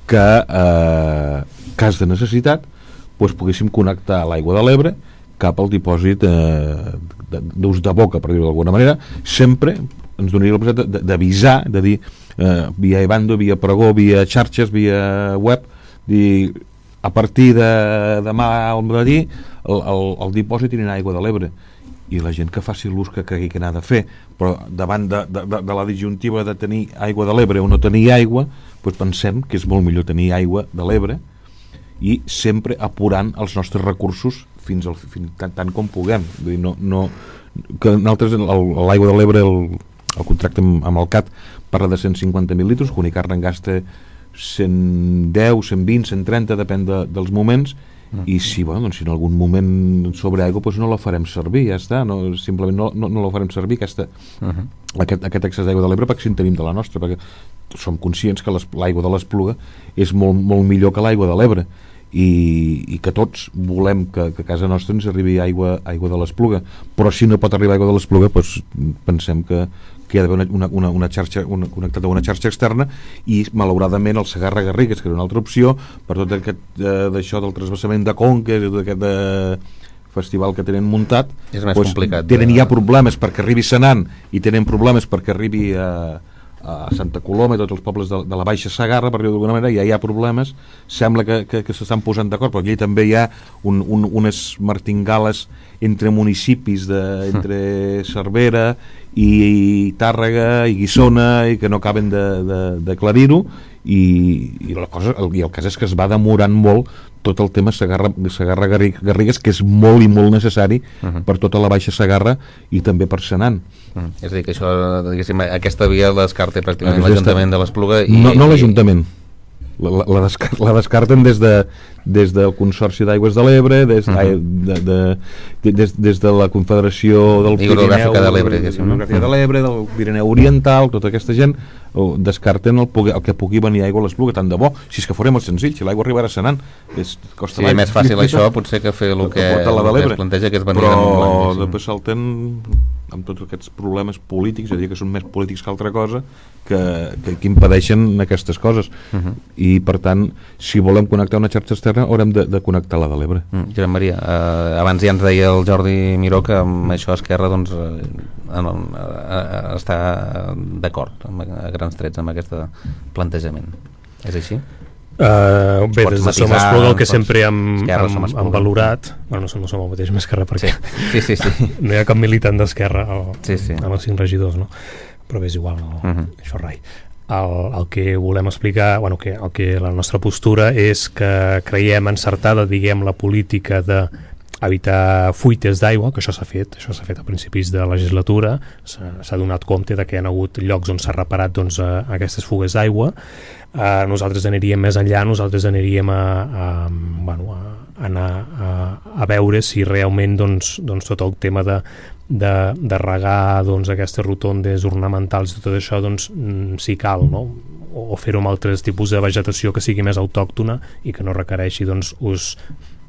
que eh, cas de necessitat doncs poguéssim connectar l'aigua de l'Ebre cap al dipòsit eh, d'ús de boca, per dir-ho d'alguna manera. Sempre ens donaria la possibilitat d'avisar, de dir eh, via Ebando, via Pregó, via xarxes, via web, dir a partir de demà al matí el, el, el dipòsit anirà aigua de l'Ebre, i la gent que faci l'ús que cregui que n'ha de fer, però davant de, de, de, de la disjuntiva de tenir aigua de l'Ebre o no tenir aigua, doncs pensem que és molt millor tenir aigua de l'Ebre i sempre apurant els nostres recursos fins, al, fins tant, tant com puguem. Vull dir, no, no, que nosaltres l'aigua de l'Ebre, el, el contracte amb, amb el C A T parla de cent cinquanta mil litres, Cunicarn en gasta cent deu, cent vint, cent trenta, depèn de, dels moments, i si, bueno, doncs, si en algun moment sobre aigua doncs no la farem servir, ja està, no, simplement no, no, no la farem servir aquesta, uh -huh. aquest, aquest excés d'aigua de l'Ebre, perquè si en tenim de la nostra, perquè som conscients que l'aigua de l'Espluga és molt, molt millor que l'aigua de l'Ebre, i, i que tots volem que, que a casa nostra ens arribi aigua, aigua de l'Espluga, però si no pot arribar aigua de l'Espluga, doncs pensem que que hi ha d'haver una, una, una xarxa una, connectada a una xarxa externa, i malauradament el Segarra-Garrigues, que era una altra opció per tot aquest eh, d'això del transvasament de conques i tot aquest eh, festival que tenen muntat, és més doncs, complicat, tenen eh? ja problemes perquè arribi Senan i tenen problemes perquè arribi a, a Santa Coloma i tots els pobles de, de la Baixa Segarra, per dir-ho d'alguna manera, ja hi ha problemes. Sembla que, que, que s'estan posant d'acord, però aquí també hi ha un, un, unes martingales entre municipis de, entre Cervera i Tàrrega i Guissona, i que no acaben d'aclarir-ho, i, i la cosa, el, i el cas és que es va demorant molt tot el tema Segarra-Garrigues, que és molt i molt necessari uh -huh. per tota la Baixa Segarra i també per Senan. Uh -huh. És a dir, que això, diguéssim, aquesta via la descarta pràcticament l'Ajuntament de l'Espluga i... No, no l'Ajuntament. La, la, la, descar la descarten des, de, des del Consorci d'Aigües de l'Ebre, des, uh -huh. de, de, de, des, des de la Confederació del Pirineu, de l'Ebre, de l'Ebre, del Pirineu Oriental, tota aquesta gent descarten el, el que pugui venir aigua a l'Espluga. Tant de bo, si és que farem molt senzill, si l'aigua arribarà a Senan, és, costa sí, més fàcil això potser que fer el que, el que es planteja, que és venir però de Montblanc, després salten amb tots aquests problemes polítics, és a dir, que són més polítics que altra cosa, que, que, que impedeixen aquestes coses. Uh -huh. I per tant, si volem connectar una xarxa externa haurem de, de connectar la de l'Ebre. Mm, Josep Maria, eh, abans ja ens deia el Jordi Miró que amb això Esquerra doncs, eh, en, eh, està d'acord a grans trets amb aquest plantejament. És així? Uh, bé, des de Som Espluga el que pots... sempre hem, Esquerra, hem, hem valorat, bueno, no som, no som el mateix amb Esquerra perquè sí. Sí, sí, sí. no hi ha cap militant d'Esquerra sí, sí. amb els cinc regidors, no? Però bé, és igual, no? uh -huh. Això rai. El, el que volem explicar, bueno, que, el que la nostra postura és que creiem encertada, diguem, la política de evitar fuites d'aigua, que això s'ha fet, això s'ha fet a principis de legislatura, s'ha donat compte de que hi ha hagut llocs on s'ha reparat doncs, a, a aquestes fugues d'aigua. Uh, nosaltres aniríem més enllà, nosaltres aniríem a, a, bueno, a anar a, a veure si realment doncs, doncs tot el tema de, de, de regar doncs, aquestes rotondes ornamentals i tot això doncs, si cal, no? o, o fer-ho amb altres tipus de vegetació que sigui més autòctona i que no requereixi doncs, ús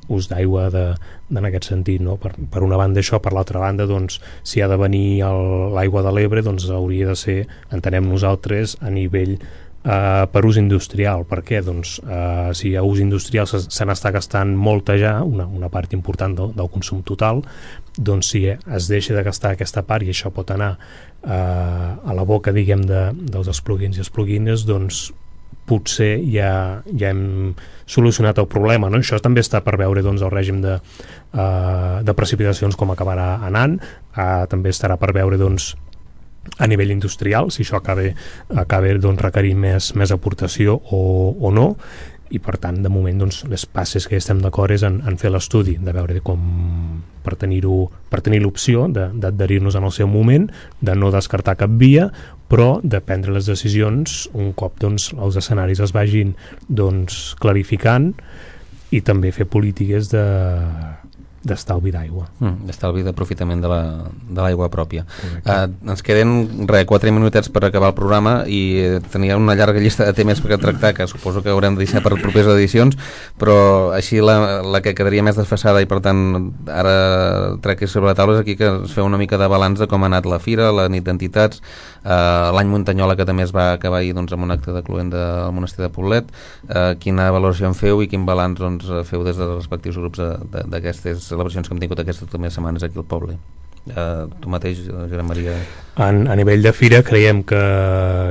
ús d'aigua en aquest sentit, no? Per, per una banda això, per l'altra banda doncs, si ha de venir l'aigua de l'Ebre doncs hauria de ser, entenem nosaltres, a nivell Uh, per ús industrial. Per què? Doncs uh, si a ús industrial se, se n'està gastant molta ja, una, una part important del, del consum total, doncs si es deixa de gastar aquesta part i això pot anar uh, a la boca, diguem, de, dels espluguins i espluguines, doncs potser ja, ja hem solucionat el problema, no? Això també està per veure doncs, el règim de, uh, de precipitacions com acabarà anant, uh, també estarà per veure doncs a nivell industrial, si això acaba, acaba doncs, requerint més, més aportació o, o no, i per tant de moment doncs, les passes que estem d'acord és en, en fer l'estudi, de veure com per tenir-ho, per tenir l'opció d'adherir-nos en el seu moment, de no descartar cap via, però de prendre les decisions un cop doncs, els escenaris es vagin doncs, clarificant, i també fer polítiques de d'estalvi d'aigua. Mm, d'estalvi d'aprofitament de l'aigua la, pròpia. Uh, ens queden re, quatre minutets per acabar el programa i tenia una llarga llista de temes per tractar que suposo que haurem de deixar per properes edicions, però així la, la que quedaria més desfasada i per tant ara trec sobre la taula és aquí que es feu una mica de balanç de com ha anat la fira, la nit d'entitats, uh, l'any Muntanyola que també es va acabar ahir doncs, amb un acte de cluent del monestir de Poblet. Uh, quina valoració en feu i quin balanç doncs, feu des dels respectius grups d'aquestes celebracions que hem tingut aquestes últimes setmanes aquí al poble? Uh, tu mateix, Joan Maria? En, a nivell de fira creiem que,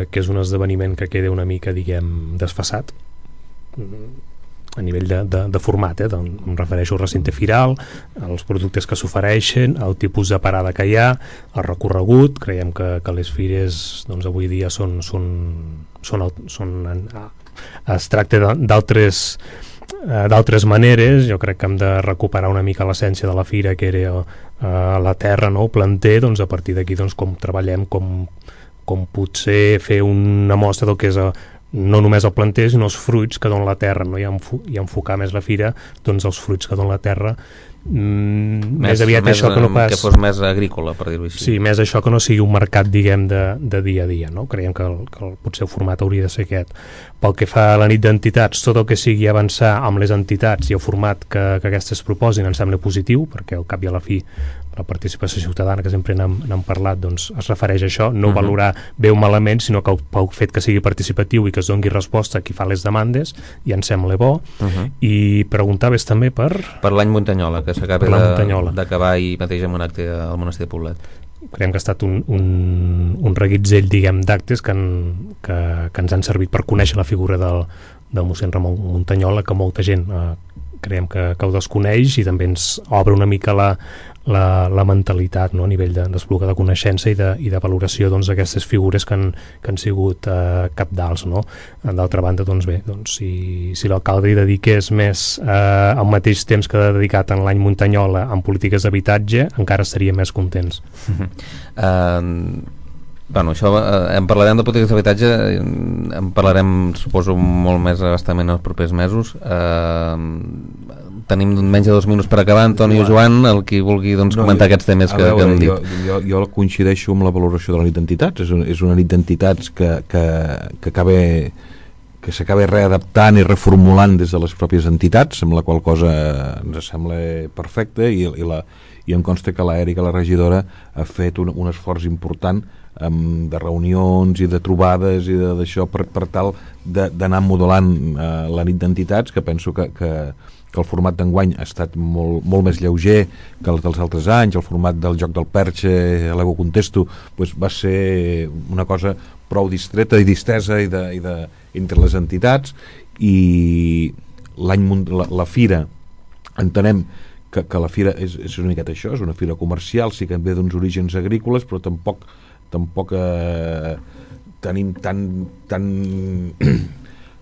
que és un esdeveniment que queda una mica, diguem, desfasat a nivell de, de, de format, eh? Doncs em refereixo al recinte firal, als productes que s'ofereixen, al tipus de parada que hi ha, el recorregut. Creiem que, que les fires doncs, avui dia són, són, són, són, són es tracta d'altres d'altres maneres. Jo crec que hem de recuperar una mica l'essència de la fira, que era uh, la terra, no? El planter. Doncs a partir d'aquí doncs, com treballem, com, com potser fer una mostra del que és a, no només el planter sinó els fruits que dona la terra, no? I, enfo i enfocar més la fira doncs, els fruits que dona la terra. Mm, més, més aviat més, això que no pas... que fos més agrícola, per dir-ho així. Sí, més això que no sigui un mercat, diguem, de, de dia a dia, no? Creiem que, el, que el, potser el format hauria de ser aquest. Pel que fa a la nit d'entitats, tot el que sigui avançar amb les entitats i el format que, que aquestes proposin em sembla positiu, perquè al cap i a la fi la participació ciutadana, que sempre n'hem parlat, doncs es refereix a això, no uh -huh. valorar bé o malament, sinó que el, pel fet que sigui participatiu i que es doni resposta a qui fa les demandes, ja em sembla bo. Uh -huh. I preguntaves també per... Per l'any Muntanyola, que s'acaba d'acabar ahir mateix amb un acte al monestir de Poblet. Creiem que ha estat un, un, un reguitzell, diguem, d'actes que, en, que, que ens han servit per conèixer la figura del, del mossèn Ramon Muntanyola, que molta gent eh, creiem que, que ho desconeix, i també ens obre una mica la, la, la mentalitat, no? A nivell d'Espluga de, de coneixença i de, i de valoració doncs, d'aquestes figures que han, que han sigut eh, cabdals, no? D'altra banda, doncs bé, doncs, si, si l'alcalde hi dediqués més eh, al mateix temps que ha dedicat en l'any Muntanyola en polítiques d'habitatge, encara estaríem més contents. uh... Bueno, això, eh, en parlarem de polítiques d'habitatge, en parlarem, suposo, molt més abastament els propers mesos. Eh, tenim menys de dos minuts per acabar. Antoni o Joan, el qui vulgui doncs, no, comentar jo, aquests temes que, veure, que hem dit. Jo, jo, jo coincideixo amb la valoració de la nit d'entitats. És, un, és una nit d'entitats que, que, que acaba que s'acaba readaptant i reformulant des de les pròpies entitats, amb la qual cosa ens sembla perfecta, i, i, la, i em consta que l'Èrica, la regidora, ha fet un, un esforç important Um, de reunions i de trobades i d'això per, per tal d'anar modelant uh, la nit d'entitats, que penso que, que, que el format d'enguany ha estat molt, molt més lleuger que els dels altres anys. El format del joc del perxe, l'ego contesto, pues, va ser una cosa prou distreta i distesa i de, i de, entre les entitats, i l'any la, la fira entenem que, que la fira és, és una miqueta això, és una fira comercial, sí que ve d'uns orígens agrícoles, però tampoc tampoc eh, tenim tan, tan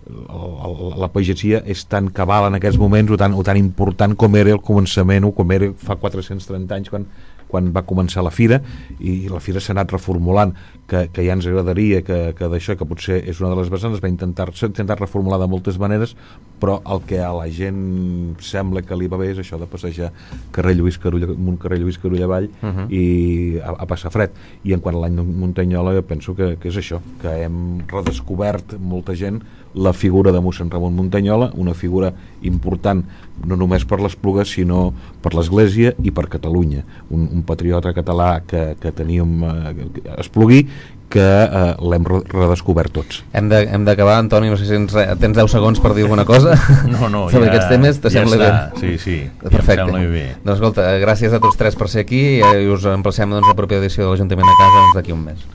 la pagesia és tan cabal en aquests moments o tan, o tan important com era el començament o com era fa quatre-cents trenta anys quan, quan va començar la fira, i la fira s'ha anat reformulant, que, que ja ens agradaria que, que d'això, que potser és una de les vessants, es va intentar, s'ha intentat reformular de moltes maneres, però el que a la gent sembla que li va bé és això de passejar carrer Lluís Carulla amunt, carrer Lluís Carulla avall, uh -huh. i a, a passar fred. I en quant a l'any Muntanyola, penso que, que és això, que hem redescobert molta gent la figura de mossèn Ramon Muntanyola, una figura important no només per l'Espluga sinó per l'Església i per Catalunya, un, un patriota català que, que teníem eh, espluguí, que eh, l'hem redescobert tots. Hem d'acabar, Antoni, no sé si ens, tens deu segons per dir alguna cosa no, no, sobre ja, aquests temes, te ja sembla està. bé? Sí, sí, perfecte. Ja em sembla bé. Doncs escolta, gràcies a tots tres per ser aquí, i us emplacem doncs, a la propera edició de l'Ajuntament a casa doncs, d'aquí un mes.